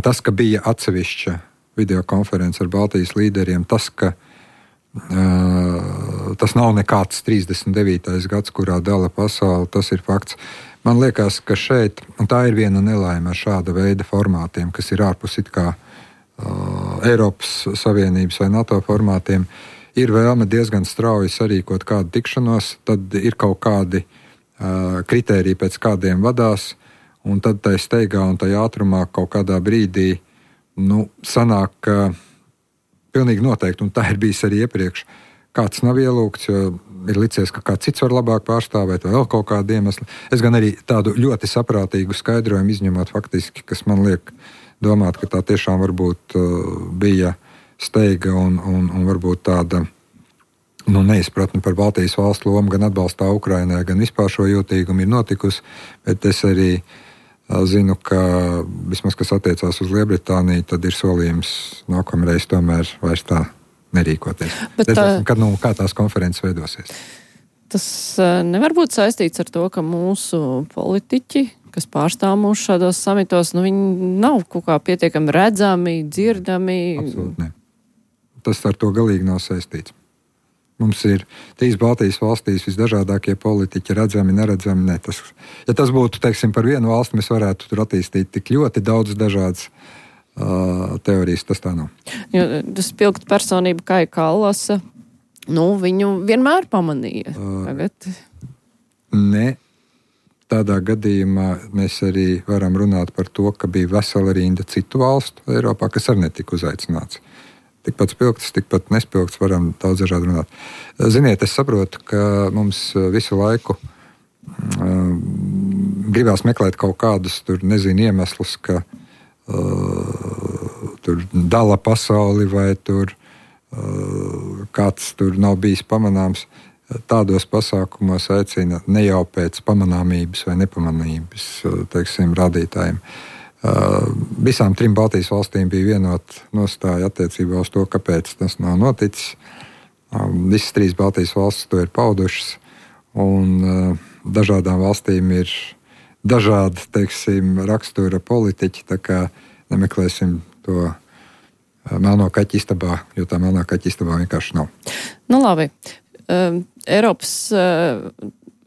tas, ka bija atsevišķa videokonference ar Baltijas līderiem, tas, ka uh, tas nav nekāds trīsdesmit devītais gads, kurā dala pasauli, tas ir fakts. Man liekas, ka šeit, un tā ir viena nelaime ar šāda veida formātiem, kas ir ārpus it kā uh, Eiropas Savienības vai NATO formātiem, ir vēlme diezgan strauji sarīkot kādu tikšanos, tad ir kaut kādi uh, kritēriji, pēc kādiem vadās, un tad tai steigā un tai ātrumā kaut kādā brīdī nu, sanāk, ka pilnīgi noteikti, un tā ir bijis arī iepriekš, kāds nav ielūgts, jo ir licies, ka kāds cits var labāk pārstāvēt vai vēl kaut kādu iemeslu. Es gan arī tādu ļoti saprātīgu skaidrojumu izņemot faktiski, kas man liek domāt, ka tā tiešām varbūt uh, bija steiga un, un, un varbūt tāda nu, neizpratne par Baltijas valstu lomu gan atbalstā Ukrainai, gan vispār šo jūtīgumu ir notikusi, bet es arī uh, zinu, ka vismaz, kas attiecās uz Lielbritāniju, tad ir solījums nākamreiz tomēr vairs tā nerīkoties. Bet, Redzēsim, kad, nu, kā tās konferences veidosies. Tas uh, nevar būt saistīts ar to, ka mūsu politiķi, kas pārstāv mūs šādos samitos, nu, viņi nav kaut kā pietiekami redzami, dzirdami. Absolūti ne. Tas ar to galīgi nav saistīts. Mums ir trīs Baltijas valstīs visdažādākie politiķi, redzami, neredzami. Ne. Tas, ja tas būtu, teiksim, par vienu valsti, mēs varētu tur attīstīt tik ļoti daudz dažādas uh, teorijas, tas tā nav. Jo tas spilgt personība Kaja Kallasa, nu, viņu vienmēr pamanīja. Tagad. Uh, ne. Tādā gadījumā mēs arī varam runāt par to, ka bija vesela rinda citu valstu Eiropā, kas arī netika uzaicināts. Tikpat spilgts, tikpat nespilgts, varam daudz dažādi runāt. Ziniet, es saprotu, ka mums visu laiku uh, gribās meklēt kaut kādus, tur nezinu, iemeslus, ka uh, tur dala pasauli vai tur uh, kāds tur nav bijis pamanāms. Tādos pasākumos aicina ne jau pēc pamanāmības vai nepamanāmības, teiksim, rādītājiem. Uh, visām trim Baltijas valstīm bija vienota nostāja attiecībā uz to, kāpēc tas nav noticis. Um, visas trīs Baltijas valstis to ir paudušas, un uh, dažādām valstīm ir dažādi, teiksim, rakstura politiķi, tā kā nemeklēsim to uh, melno kaķi istabā, jo tā melnā kaķi istabā vienkārši nav. Nu labi. Uh, Eiropas uh,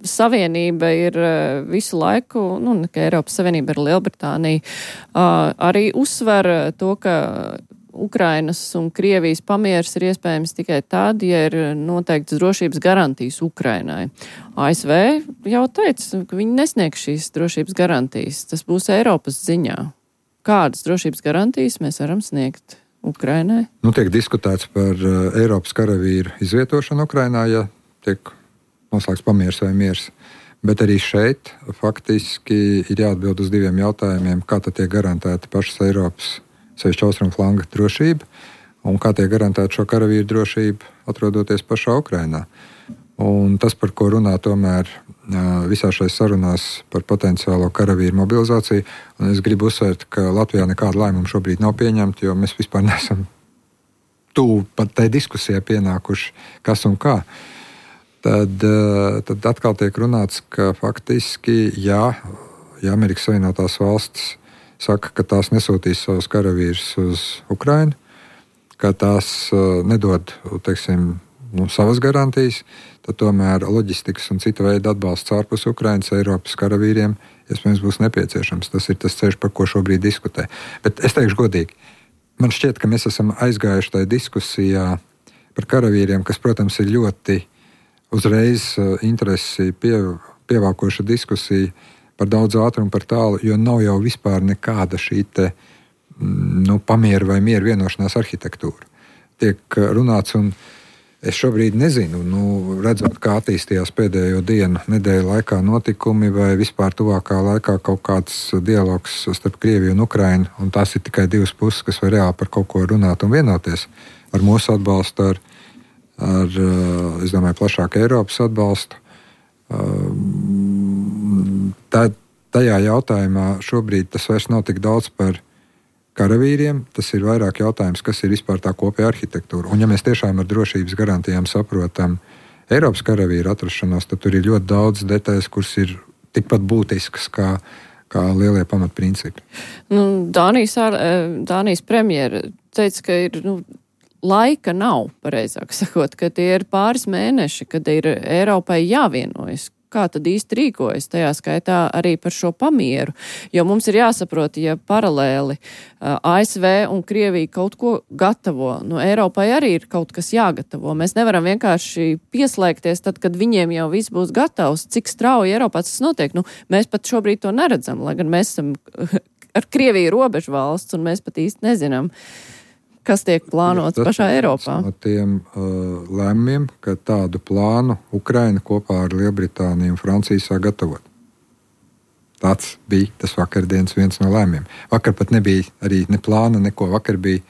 Savienība ir uh, visu laiku, nu, ne ka Eiropas Savienība ir Lielbritānija, uh, arī uzsver to, ka Ukrainas un Krievijas pamieris ir iespējams tikai tad, ja ir noteikts drošības garantijas Ukrainai. A S V jau teica, ka viņi nesniegs šīs drošības garantijas. Tas būs Eiropas ziņā. Kādas drošības garantijas mēs varam sniegt Ukrainai? Nu, tiek diskutēts par uh, Eiropas karavīru izvietošanu Ukrainā, ja tiek noslēgts pamieris vai miers. Bet arī šeit faktiski ir jāatbild uz diviem jautājumiem, kā tad tiek garantēta pašas Eiropas sevišķi austrumu flanga drošība un kā tiek garantēta šo karavīru drošību atrodoties pašā Ukrainā. Un tas, par ko runā tomēr visā šais sarunās par potenciālo karavīru mobilizāciju, un es gribu uzsvērt, ka Latvijā nekāda lēmuma šobrīd nav pieņemta, jo mēs vispār nesam tuvu pat tai diskusijai pienākuši, kas un kā. Tad, tad atkal tiek runāts, ka faktiski, jā, ja Amerikas Savienotās valstis saka, ka tās nesūtīs savus karavīrus uz Ukrainu, ka tās nedod, teiksim, nu, savas garantijas, tad tomēr loģistikas un cita veida atbalsts ārpus Ukrainas Eiropas karavīriem iespējams būs nepieciešams. Tas ir tas ceļš, par ko šobrīd diskutē. Bet es teikšu godīgi, man šķiet, ka mēs esam aizgājuši tajā diskusijā par karavīriem, kas, protams, ir ļoti uzreiz interesi pie, pievākoša diskusija par daudz ātrumu, par tālu, jo nav jau vispār nekāda šī te, nu, pamiera vai miera vienošanās arhitektūra. Tiek runāts, un es šobrīd nezinu, nu, redzot, kā attīstījās pēdējo dienu, nedēļu laikā notikumi vai vispār tuvākā laikā kaut kāds dialogs starp Krieviju un Ukrainu, un tās ir tikai divas puses, kas var reāli par kaut ko runāt un vienoties ar mūsu atbalstu, ar ar, es domāju, plašāku Eiropas atbalstu. Tā, tajā jautājumā šobrīd tas vairs nav tik daudz par karavīriem, tas ir vairāk jautājums, kas ir vispār tā kopējā arhitektūra. Un ja mēs tiešām ar drošības garantijām saprotam Eiropas karavīru atrašanos, tad tur ir ļoti daudz detaļas, kuras ir tikpat būtiskas kā kā lielie pamatprincipi. Nu, Dānijas, Dānijas premjera teica, ka ir, nu, laika nav, pareizāk sakot, ka tie ir pāris mēneši, kad ir Eiropai jāvienojas. Kā tad īsti rīkojas, tajā skaitā arī par šo pamieru? Jo mums ir jāsaprot, ja paralēli A S V un Krievija kaut ko gatavo, nu Eiropai arī ir kaut kas jāgatavo. Mēs nevaram vienkārši pieslēgties tad, kad viņiem jau viss būs gatavs. Cik strauji Eiropā tas notiek? Nu, mēs pat šobrīd to neredzam, lai gan mēs esam ar Krieviju robežu valsts un mēs pat īsti nezinām, kas tiek plānots ja, pašā Eiropā. No tiem uh, lēmumiem, ka tādu plānu Ukraina kopā ar Lielbritāniju un Franciju sāk gatavot. Tāds bija tas vakardienas viens no lēmumiem. Vakar pat nebija arī ne plāna, neko. Vakar bija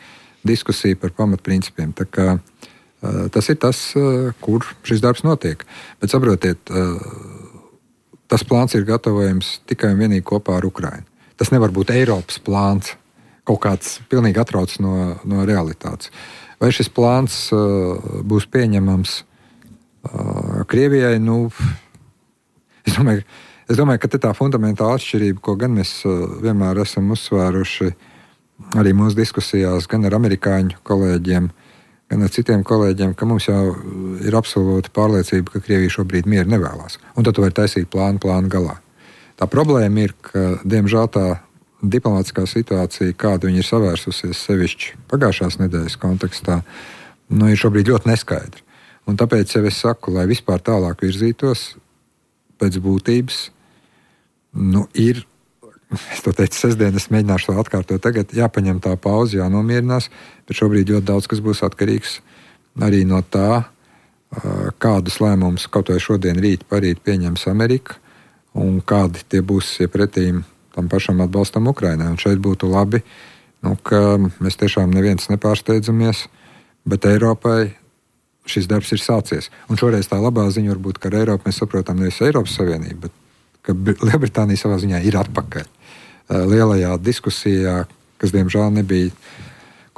diskusija par pamatprincipiem. Tā kā uh, tas ir tas, uh, kur šis darbs notiek. Bet saprotiet, uh, tas plāns ir gatavojams tikai un vienīgi kopā ar Ukrainu. Tas nevar būt Eiropas plāns. Kaut kāds pilnīgi atrauc no, no realitātes. Vai šis plāns uh, būs pieņemams uh, Krievijai? Nu, es, domāju, es domāju, ka te tā fundamentāla atšķirība, ko gan mēs uh, vienmēr esam uzsvēruši arī mūsu diskusijās, gan ar amerikāņu kolēģiem, gan ar citiem kolēģiem, ka mums jau ir absolūta pārliecība, ka Krievija šobrīd mieru nevēlās. Un tad tu vari taisīt plānu plānu galā. Tā problēma ir, ka diemžēl tā diplomātiskā situācija, kādu viņi ir savērsusies sevišķi pagājušās nedēļas kontekstā, nu, ir šobrīd ļoti neskaidra. Un tāpēc jau es saku, lai vispār tālāk virzītos pēc būtības, nu, ir, es to teicu sestdien, es mēģināšu to atkārtot tagad, jāpaņem tā pauze, jānomierinās, bet šobrīd ļoti daudz, kas būs atkarīgs arī no tā, kādus lēmumus kaut vai šodien, rīt, parīt pieņems Amerika un kādi tie būs iepretīm tam pašam atbalstam Ukrainai. Un šeit būtu labi, nu, ka mēs tiešām neviens nepārsteidzamies, bet Eiropai šis darbs ir sācies. Un šoreiz tā labā ziņa varbūt, ka ar Eiropu mēs saprotam nevis Eiropas Savienību, bet ka Lielbritānija savā ziņā ir atpakaļ lielajā diskusijā, kas diemžēl nebija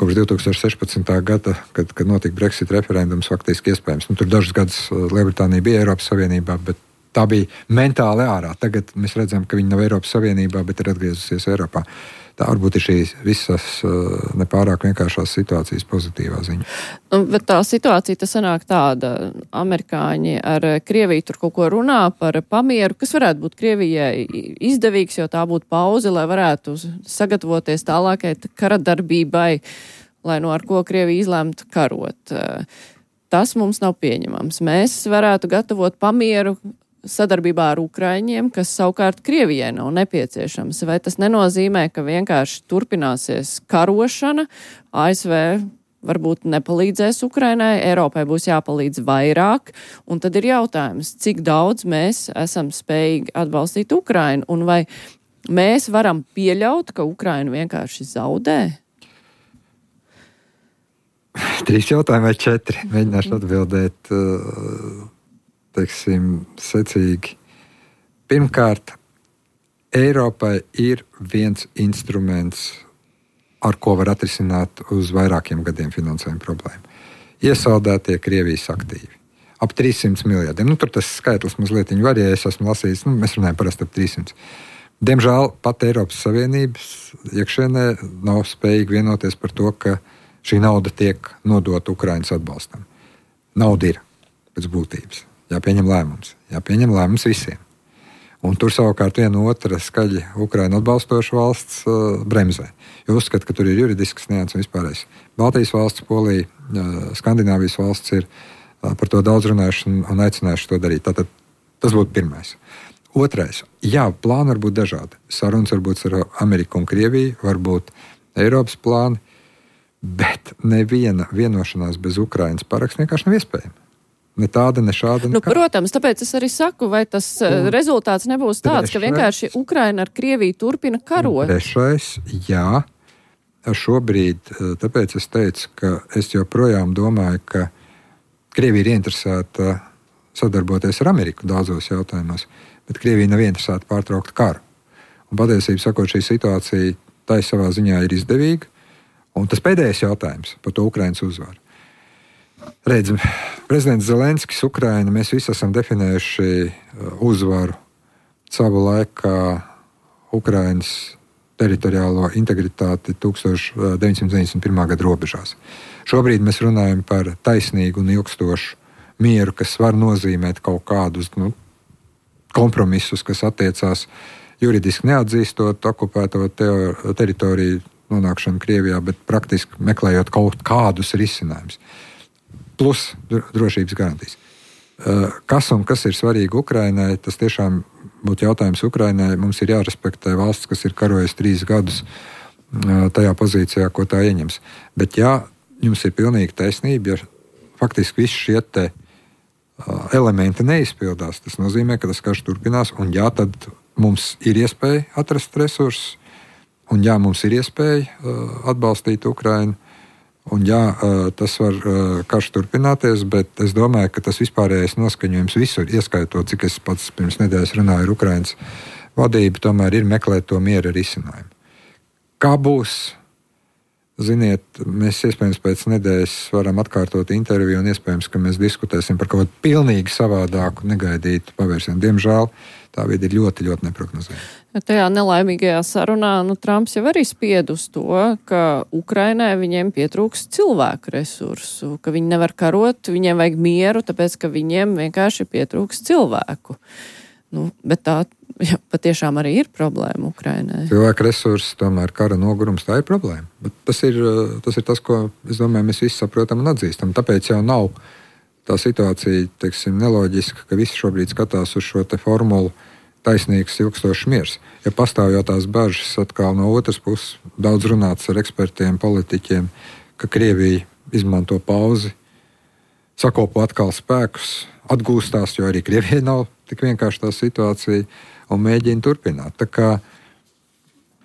kopš divi tūkstoši sešpadsmitā gada, kad, kad notika Brexit referendums, faktiski iespējams. Nu, tur dažus gadus Lielbritānija bija Eiropas Savienībā, bet tā bija mentāli ārā. Tagad mēs redzam, ka viņi nav Eiropas Savienībā, bet ir atgriezusies Eiropā. Tā varbūt ir šīs visas nepārāk vienkāršās situācijas pozitīvā ziņa. Nu, bet tā situācija tas sanāk tāda. Amerikāņi ar Krieviju tur kaut ko runā par pamieru, kas varētu būt Krievijai izdevīgs, jo tā būtu pauze, lai varētu sagatavoties tālākai kara darbībai, lai no ar ko Krievija izlēmtu karot. Tas mums nav pieņemams. Mēs varētu gatavot pamieru sadarbībā ar Ukraiņiem, kas savukārt Krievijai nav nepieciešams. Vai tas nenozīmē, ka vienkārši turpināsies karošana, A S V varbūt nepalīdzēs Ukrainai, Eiropai būs jāpalīdz vairāk, un tad ir jautājums, cik daudz mēs esam spējīgi atbalstīt Ukrainu, un vai mēs varam pieļaut, ka Ukraina vienkārši zaudē? Trīs jautājumi vai četri. Mēģināšu atbildēt teiksim, secīgi. Pirmkārt, Eiropai ir viens instruments, ar ko var atrisināt uz vairākiem gadiem finansējuma problēmu. Iesaldētie Krievijas aktīvi. Ap trīs simti miljardiem. Nu, tur tas skaitlis mazliet varē, es esmu lasījis, nu, mēs runājam parasti ap trīs simti. Diemžēl pat Eiropas Savienības iekšēnē nav spējīgi vienoties par to, ka šī nauda tiek nodota Ukrainas atbalstam. Nauda ir pēc būtības. Jāpieņem lēmums. Jāpieņem lēmums visiem. Un tur savukārt viena otra skaļi Ukraina atbalstoša valsts uh, bremzē. Jo uzskata, ka tur ir juridisks nianses un vispārējais. Baltijas valsts, Polija, uh, Skandināvijas valsts ir uh, par to daudz runājuši un, un aicinājuši to darīt. Tātad tas būtu pirmais. Otrais. Jā, plāni var būt dažādi. Sarunas var būt ar Ameriku un Krieviju, var būt Eiropas plāni, bet neviena vienošanās bez Ukrainas paraksta vienkārši nav iespējama. Ne tāda, ne šāda. Nu, protams, tāpēc es arī saku, vai tas un rezultāts nebūs tāds, trešais, ka vienkārši Ukraina ar Krieviju turpina karot. Trešais, jā. Šobrīd, tāpēc es teicu, ka es joprojām domāju, ka Krievija ir ieinteresēta sadarboties ar Ameriku daudzos jautājumos, bet Krievija nav ieinteresēta pārtraukt karu. Un patiesībā sakot, šī situācija tai savā ziņā ir izdevīga. Un tas pēdējais jautājums par to Ukrainas uzvaru. Redzam, prezidents Zelenskis, Ukraina, mēs visi esam definējuši uzvaru savu laikā Ukrainas teritoriālo integritāti deviņdesmit deviņdesmit pirmā gada robežās. Šobrīd mēs runājam par taisnīgu un ilgstošu mieru, kas var nozīmēt kaut kādus nu, kompromisus, kas attiecās juridiski neatzīstot okupēto teo- teritoriju nonākšanu Krievijā, bet praktiski meklējot kaut kādus risinājumus. Plus drošības garantijas. Kas un kas ir svarīgi Ukrainai, tas tiešām būtu jautājums Ukrainai. Mums ir jārespektē valsts, kas ir karojusi trīs gadus tajā pozīcijā, ko tā ieņems. Bet jā, jums ir pilnīgi taisnība, ja faktiski visi šie te elementi neizpildās. Tas nozīmē, ka tas karš turpinās, un jā, tad mums ir iespēja atrast resursus, un jā, mums ir iespēja uh, atbalstīt Ukrainu, un jā, uh, tas var uh, karš turpināties, bet es domāju, ka tas vispārējais noskaņojums visur, ieskaitot, cik es pats pirms nedēļas runāju ar Ukrainas vadību, tomēr ir meklēt to miera risinājumu. Kā būs? Ziniet, mēs iespējams pēc nedēļas varam atkārtot interviju, un iespējams, ka mēs diskutēsim par kaut ko pilnīgi savādāku, negaidītu pavērsienu. Diemžēl tā vide ir ļoti, ļoti neprognozējama. Tajā nelaimīgajā sarunā nu, Trumps jau arī spied uz to, ka Ukrainai viņiem pietrūks cilvēku resursu, ka viņi nevar karot, viņiem vajag mieru, tāpēc, ka viņiem vienkārši pietrūks cilvēku. Nu, bet tā jā, patiešām arī ir problēma Ukrainai. Cilvēku resursi, tomēr kara nogurums, tā ir problēma. Bet tas ir, tas ir tas, ko, es domāju, mēs visi saprotam un atzīstam. Tāpēc jau nav tā situācija, teiksim, neloģiska, ka visi šobrīd skatās uz šo te formulu taisnīgs, ilgstošs miers. Ja pastāv jau tās bažas atkal no otras puses, daudz runāts ar ekspertiem, politiķiem, ka Krievija izmanto pauzi, sakopo atkal spēkus, atgūstās, jo arī Krievijai nav tik vienkārši tā situācija, un mēģina turpināt. Tā kā,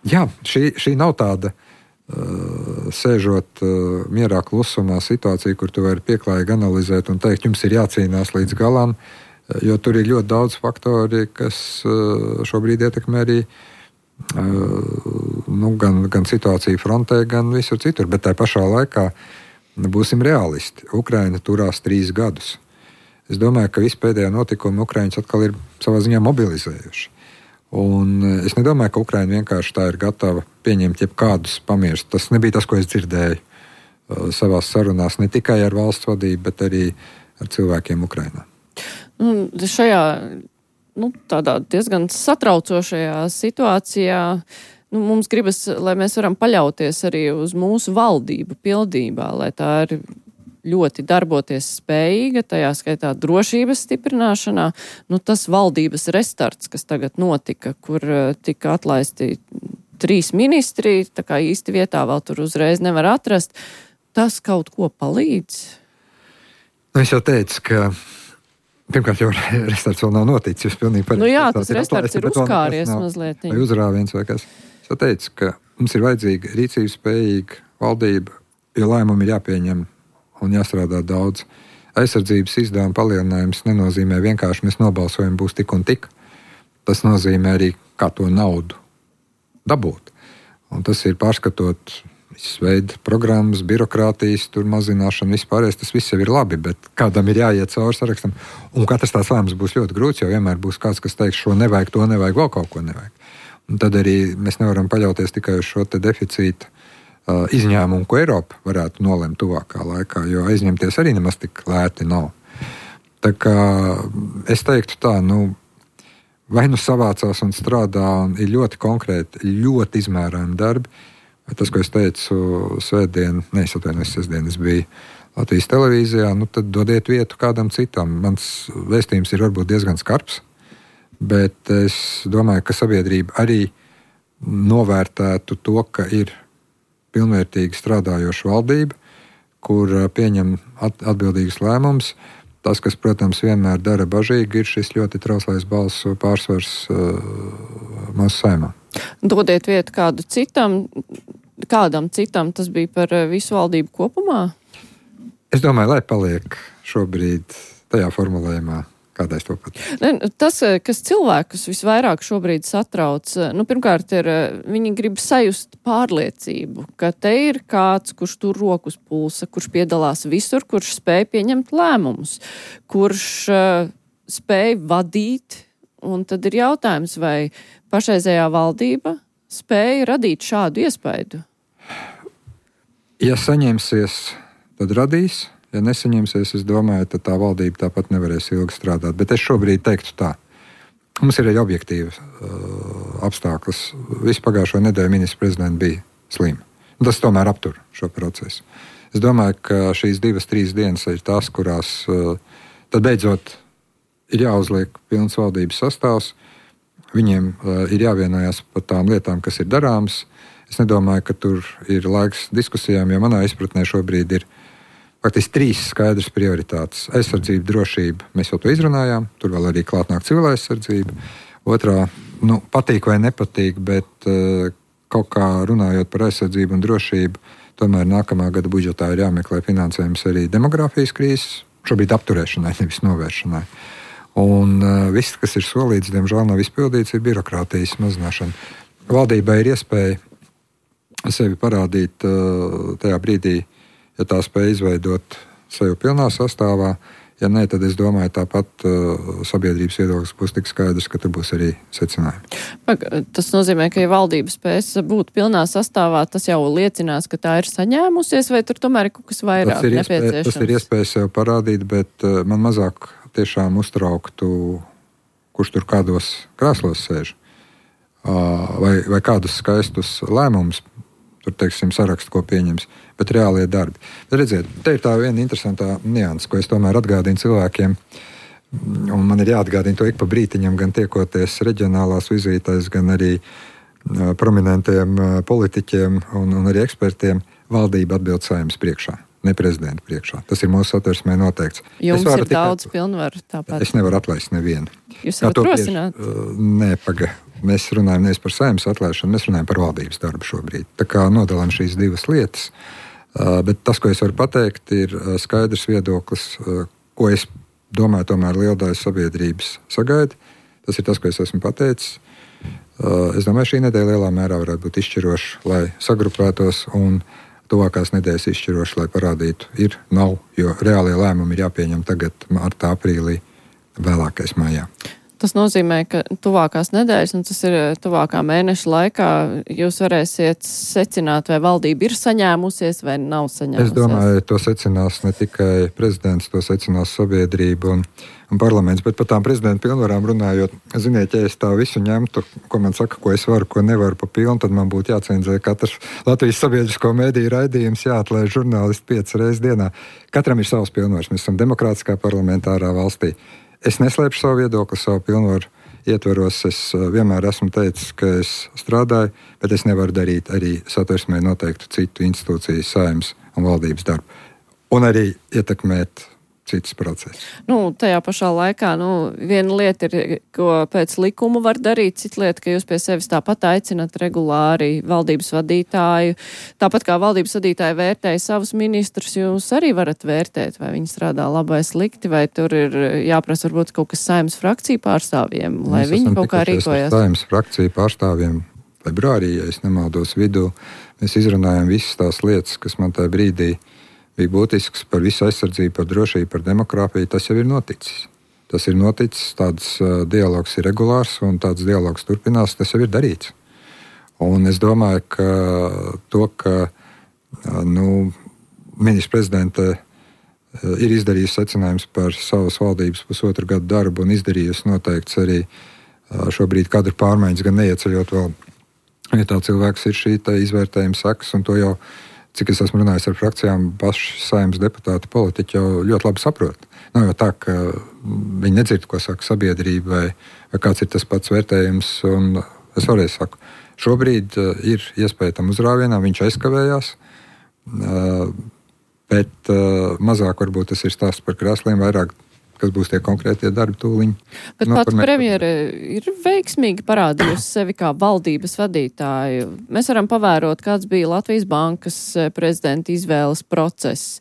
jā, šī, šī nav tāda uh, sēžot uh, mierā klusumā situācija, kur tu vari pieklājīgi analizēt un teikt, jums ir jācīnās līdz galam, jo tur ir ļoti daudz faktori, kas uh, šobrīd ietekmē arī uh, nu, gan, gan situāciju frontē, gan visur citur. Bet tā pašā laikā būsim realisti. Ukraina turās trīs gadus. Es domāju, ka visi pēdējā notikumi Ukraiņus atkal ir savā ziņā mobilizējuši. Un es nedomāju, ka Ukraina vienkārši tā ir gatava pieņemt jebkādus pamierus. Tas nebija tas, ko es dzirdēju uh, savās sarunās, ne tikai ar valsts vadību, bet arī ar cilvēkiem Ukrainā. Un šajā nu, tādā diezgan satraucošajā situācijā nu, mums gribas, lai mēs varam paļauties arī uz mūsu valdību pildībā, lai tā ir ļoti darboties spējīga, tajā skaitā drošības stiprināšanā. Nu, tas valdības restarts, kas tagad notika, kur tika atlaisti trīs ministri, tā kā īsti vietā vēl tur uzreiz nevar atrast, tas kaut ko palīdz? Nu, es jau teicu, ka pirmkārt jau restarts vēl nav noticis. Nu jā, tas restarts ir uzkāries mazliet. Vai uzrāviens vai kas. Es jau teicu, ka mums ir vajadzīga rīcības spējīga valdība, jo lēmumi ir jāpieņem un jāstrādā daudz. Aizsardzības izdevuma palielinājums nenozīmē vienkārši mēs nobalsojam būs tik un tik. Tas nozīmē arī, kā to naudu dabūt. Un tas ir pārskatot visas veida programmas, birokrātijas, tur mazināšana, vispārējais, tas viss jau ir labi, bet kādam ir jāiet cauri sarakstam. Un katrs tās lēmums būs ļoti grūts, jo vienmēr būs kāds, kas teiks, šo nevajag, to nevajag, vēl kaut ko nevajag. Un tad arī mēs nevaram paļauties tikai uz šo te deficītu izņēmumu, ko Eiropa varētu nolemt tuvākā laikā, jo aizņemties arī nemaz tik lēti nav. Tā kā es teiktu tā, nu, vai nu savācās un strādā un ir ļoti konkrēti, ļoti izmērājami darbi, vai tas, ko es teicu svētdien, ne, es atvainojos, sestdien es biju Latvijas televīzijā, nu tad dodiet vietu kādam citam. Mans vēstījums ir varbūt diezgan skarbs, bet es domāju, ka sabiedrība arī novērtētu to, ka ir pilnvērtīgi strādājoša valdība, kur pieņem atbildīgus lēmumus. Tas, kas, protams, vienmēr dara bažīgi, ir šis ļoti trauslais balsu pārsvars uh, mūsu Saeimā. Dodiet vietu kādu citam, kādam citam, tas bija par visu valdību kopumā? Es domāju, lai paliek šobrīd tajā formulējumā, kādais to pat. Tas, kas cilvēkus visvairāk šobrīd satrauc, nu, pirmkārt, ir, viņi grib sajust pārliecību, ka te ir kāds, kurš tur rokas pulsa, kurš piedalās visur, kurš spēj pieņemt lēmumus, kurš uh, spēj vadīt Un tad ir jautājums, vai pašreizējā valdība spēja radīt šādu iespaidu? Ja saņemsies, tad radīs. Ja nesaņemsies, es domāju, tad tā valdība tāpat nevarēs ilgi strādāt. Bet es šobrīd teiktu tā. Mums ir arī objektīvi uh, apstākļus. Visu pagājušo nedēļu ministrs prezidents bija slima. Tas tomēr aptur šo procesu. Es domāju, ka šīs divas, trīs dienas ir tās, kurās uh, tad beidzot ir jāuzliek pilns valdības sastāvs. Viņiem uh, ir jāvienojās par tām lietām, kas ir darāmas. Es nedomāju, ka tur ir laiks diskusijām, jo manā izpratnē šobrīd ir faktiski trīs skaidras prioritātes. Aizsardzība, drošība, mēs jau to izrunājām, tur vēl arī klāt nāk civila aizsardzība. Otrā, nu, patīk vai nepatīk, bet uh, kaut kā runājot par aizsardzību un drošību, tomēr nākamā gada budžetā ir jāmeklē finansējums arī demogrāfijas krīzes, šobrīd apturēšanai, nevis novēršanai. Un uh, viss, kas ir solīts, diemžēl nav izpildīts, ir birokrātijas mazināšana. Valdībai ir iespēja sevi parādīt uh, tajā brīdī, ja tā spēj izveidot sevi pilnā sastāvā. Ja nē, tad es domāju, tāpat uh, sabiedrības viedoklis būs tik skaidrs, ka tur būs arī secinājumi. Pag, tas nozīmē, ka ja valdība spēs būt pilnā sastāvā, tas jau liecinās, ka tā ir saņēmusies, vai tur tomēr ir kaut kas vairāk tas ir nepieciešams? Iespēja, tas ir iespēja sev parādīt, bet uh, man mazāk tiešām uztrauktu, kurš tur kādos krēslos sēž, uh, vai, vai kādus skaistus lēmumus, tur, teiksim, sarakstu, ko pieņems, bet reālie darbi. Bet redziet, te ir tā viena interesantā nianse, ko es tomēr atgādinu cilvēkiem, un man ir jāatgādina to ik pa brītiņam, gan tiekoties reģionālās vizītēs, gan arī uh, prominentiem uh, politiķiem un, un arī ekspertiem. Valdība atbild Saeimas priekšā, ne prezidenta priekšā. Tas ir mūsu satversmē noteikts. Jums ir tikai daudz pilnvaru tāpat. Es nevaru atlaist nevienu. Jūs varat rosināt? Uh, nē, paga. Mēs runājam nevis par Saeimas atlaišanu, mēs runājam par valdības darbu šobrīd. Tā kā nodalām šīs divas lietas, uh, bet tas, ko es varu pateikt, ir uh, skaidrs viedoklis, uh, ko es domāju, tomēr liela daļa sabiedrības sagaida. Tas ir tas, ko es esmu pateicis. Uh, es domāju, šī nedēļa lielā mērā varētu būt izšķiroša, lai sagrupētos, un tuvākās nedēļas izšķiroša, lai parādītu, ir, nav, jo reālie lēmumi ir jāpieņem tagad, martā, aprīlī, vēlākais maijā. Tas nozīmē, ka tuvākās nedēļas, un tas ir tuvākā mēneša laikā, jūs varēsiet secināt, vai valdība ir saņēmusies vai nav saņēmusies. Es domāju, to secinās ne tikai prezidents, to secinās sabiedrība un, un parlaments, bet par tām prezidenta pilnvarām runājot, ziniet, ja es tā visu ņemtu, ko man saka, ko es varu, ko nevaru pa pilnu, tad man būtu jācenzē katrs Latvijas sabiedrisko mediju raidījums, jāatlaiž žurnālisti piecas reizes dienā. Katram ir savs pilnvars, mēs esam demokrātiskā parlamentārā valstī. Es neslēpšu savu viedokli, savu pilnvaru ietvaros. Es vienmēr esmu teicis, ka es strādāju, bet es nevaru darīt arī satversmē noteiktu citu institūciju, Saeimas un valdības darbu. Un arī ietekmēt citas procesus. Nu, tajā pašā laikā, nu, viena lieta ir, ko pēc likuma var darīt, cita lieta, ka jūs pie sevis tāpat aicinat regulāri valdības vadītāju. Tāpat kā valdības vadītāji vērtēja savus ministrus, jūs arī varat vērtēt, vai viņi strādā labi vai slikti, vai tur ir jāprasa varbūt kaut kas Saeimas frakciju pārstāvjiem, lai Mēs viņi kaut kā rīkojas. Saeimas frakciju pārstāvjiem februārī, ja es nemaldos vidū, mēs izrunājam visas tās lietas, kas man tajā brīdī bija būtisks par visu aizsardzību, par drošību, par demokrātiju. Tas jau ir noticis. Tas ir noticis, tāds uh, dialogs ir regulārs un tāds dialogs turpinās, tas jau ir darīts. Un es domāju, ka to, ka uh, nu, ministrs prezidente uh, ir izdarījis secinājums par savas valdības pusotru gadu darbu un izdarījis noteikts arī uh, šobrīd kadru pārmaiņas, gan neieceļot vēl, ja tā cilvēks ir šī izvērtējuma sekas, un to jau cik es esmu runājis ar frakcijām, paši Saeimas deputāti, politiķi jau ļoti labi saprot. Nav jau tā, ka viņi nedzird, ko saka sabiedrība, vai, vai kāds ir tas pats vērtējums. Un es vēlreiz saku, šobrīd uh, ir iespēja tam uzrāvienam, viņš aizkavējās, uh, bet uh, mazāk varbūt tas ir stāsts par krēsliem, vairāk, kas būs tie konkrētie darbi tūliņi. Bet no, pats premjere ir veiksmīgi parādījusi sevi kā valdības vadītāju. Mēs varam pavērot, kāds bija Latvijas Bankas prezidenta izvēles process.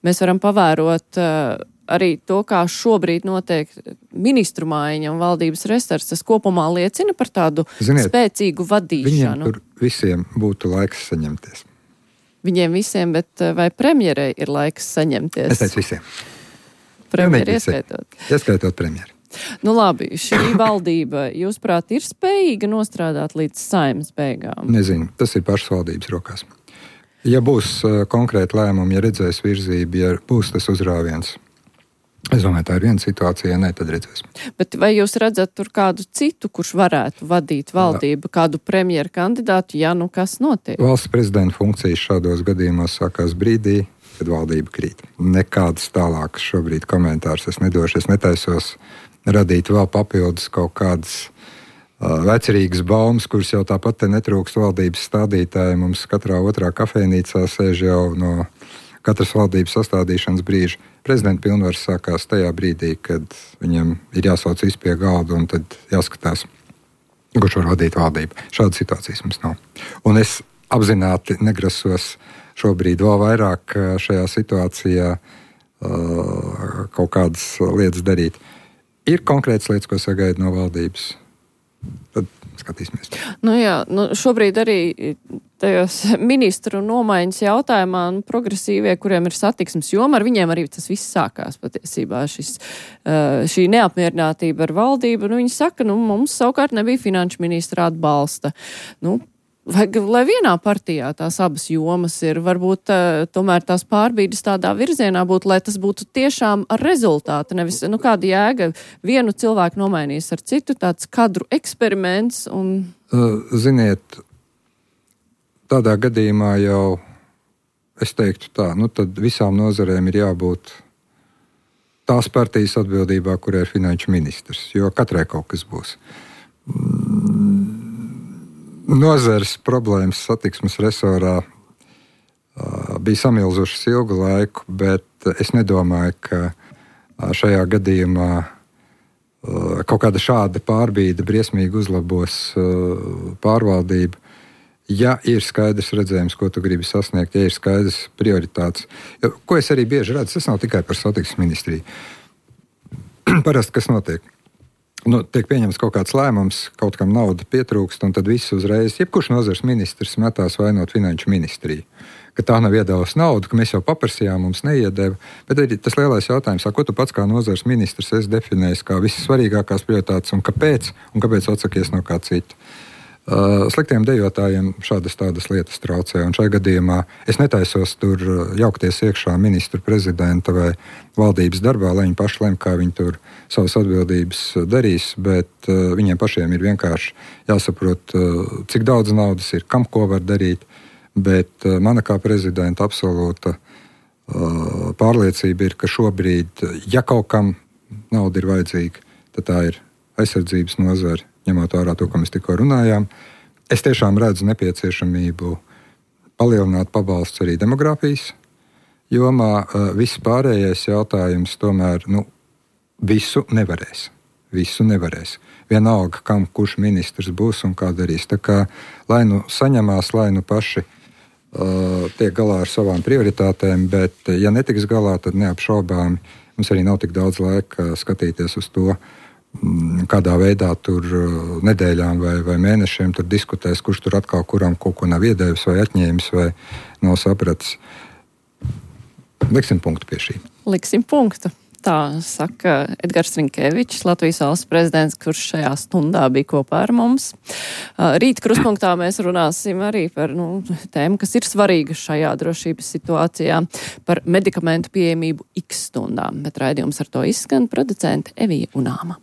Mēs varam pavērot uh, arī to, kā šobrīd notiek ministru maiņa un valdības restarts. Tas kopumā liecina par tādu Ziniet, spēcīgu vadīšanu. Viņiem tur visiem būtu laiks saņemties. Viņiem visiem, bet vai premjerei ir laiks saņemties? Es teicu visiem. Premjeri ieskaitot. Ieskaitot premjeri. Nu labi, šī valdība, jūsuprāt, ir spējīga nostrādāt līdz Saeimas beigām? Nezinu, tas ir pašas valdības rokās. Ja būs uh, konkrēti lēmumi, ja redzēs virzību, ja būs tas uzrāviens, es domāju, tā ir viena situācija, ja ne, tad redzēs. Bet vai jūs redzat tur kādu citu, kurš varētu vadīt valdību, Jā. kādu premjeru kandidātu, ja nu kas notiek? Valsts prezidenta funkcijas šādos gadījumos sākās brīdī, kad valdība krīt. Nekādas tālākas šobrīd komentārus es nedošu. Es netaisos radīt vēl papildus kaut kādas uh, vecerīgas baumas, kuras jau tāpat te netrūkst valdības stādītāji. Mums katrā otrā kafejnīcā sēž jau no katras valdības sastādīšanas brīža. Prezidenta pilnvaras sākās tajā brīdī, kad viņam ir jāsauc visi pie galda un tad jāskatās, kurš var vadīt valdību. Šādas situācijas mums nav. Un es apzināti negrasos šobrīd vēl vairāk šajā situācijā uh, kaut kādas lietas darīt. Ir konkrētas lietas, ko sagaida no valdības. Tad skatīsimies. Nu jā, nu šobrīd arī tajos ministru nomaiņas jautājumā nu, progresīvie, kuriem ir satiksmes joma, ar viņiem arī tas viss sākās patiesībā. Šis, uh, šī neapmierinātība ar valdību, nu viņi saka, nu mums savukārt nebija finanšu ministra atbalsta. Nu, Vai, lai vienā partijā tās abas jomas ir, varbūt uh, tomēr tās pārbīdes tādā virzienā būtu, lai tas būtu tiešām ar rezultātu, nevis, nu, kāda jēga vienu cilvēku nomainīs ar citu, tāds kadru eksperiments un... Ziniet, tādā gadījumā jau, es teiktu tā, nu tad visām nozarēm ir jābūt tās partijas atbildībā, kur ir finanšu ministrs, jo katrai kaut kas būs. Mm. Nozares problēmas satiksmes resorā uh, bija samilzušas ilgu laiku, bet es nedomāju, ka uh, šajā gadījumā uh, kaut kāda šāda pārbīde briesmīgi uzlabos uh, pārvaldību. Ja ir skaidrs redzējums, ko tu gribi sasniegt, ja ir skaidrs prioritātes, jo, ko es arī bieži redzu, tas nav tikai par satiksmes ministriju. Parasti, kas notiek? Nu, tiek pieņemts kaut kāds lēmums, kaut kam nauda pietrūkst, un tad viss uzreiz, jebkurš nozars ministrs metās vainot finanšu ministriju. Ka tā nav iedevusi naudu, ka mēs jau paprasījām, mums neiedeva. Bet arī tas lielais jautājums, ko tu pats kā nozars ministrs esi definējis kā vissvarīgākās prioritātes un kāpēc, un kāpēc atsakies no kā cita. Uh, sliktiem dejotājiem šādas tādas lietas traucē, un šajā gadījumā es netaisos tur jaukties iekšā ministru prezidenta vai valdības darbā, lai viņi paši lem, kā viņi tur savas atbildības darīs, bet uh, viņiem pašiem ir vienkārši jāsaprot, uh, cik daudz naudas ir, kam ko var darīt, bet uh, mana kā prezidenta absolūta uh, pārliecība ir, ka šobrīd, ja kaut kam nauda ir vajadzīga, tad tā ir aizsardzības nozare. Ņemot vērā to, ko mēs tikko runājām, es tiešām redzu nepieciešamību palielināt pabalsts arī demogrāfijas jomā. Viss pārējais jautājums tomēr nu, visu nevarēs. Visu nevarēs. Vienalga, kam kurš ministrs būs un kā darīs. Tā kā lai nu saņemās, lai nu paši uh, tiek galā ar savām prioritātēm, bet ja netiks galā, tad neapšaubāmi mums arī nav tik daudz laika skatīties uz to, kādā veidā tur nedēļām vai, vai mēnešiem tur diskutēs, kurš tur atkal kuram kaut ko nav iedevis vai atņēmis vai nav sapratis. Liksim punktu pie šī. Liksim punktu. Tā saka Edgars Rinkevičs, Latvijas valsts prezidents, kurš šajā stundā bija kopā ar mums. Rīt krustpunktā mēs runāsim arī par nu, tēmu, kas ir svarīga šajā drošības situācijā, par medikamentu pieejamību X stundām. Bet raidījums ar to izskan producente Evija Unāma.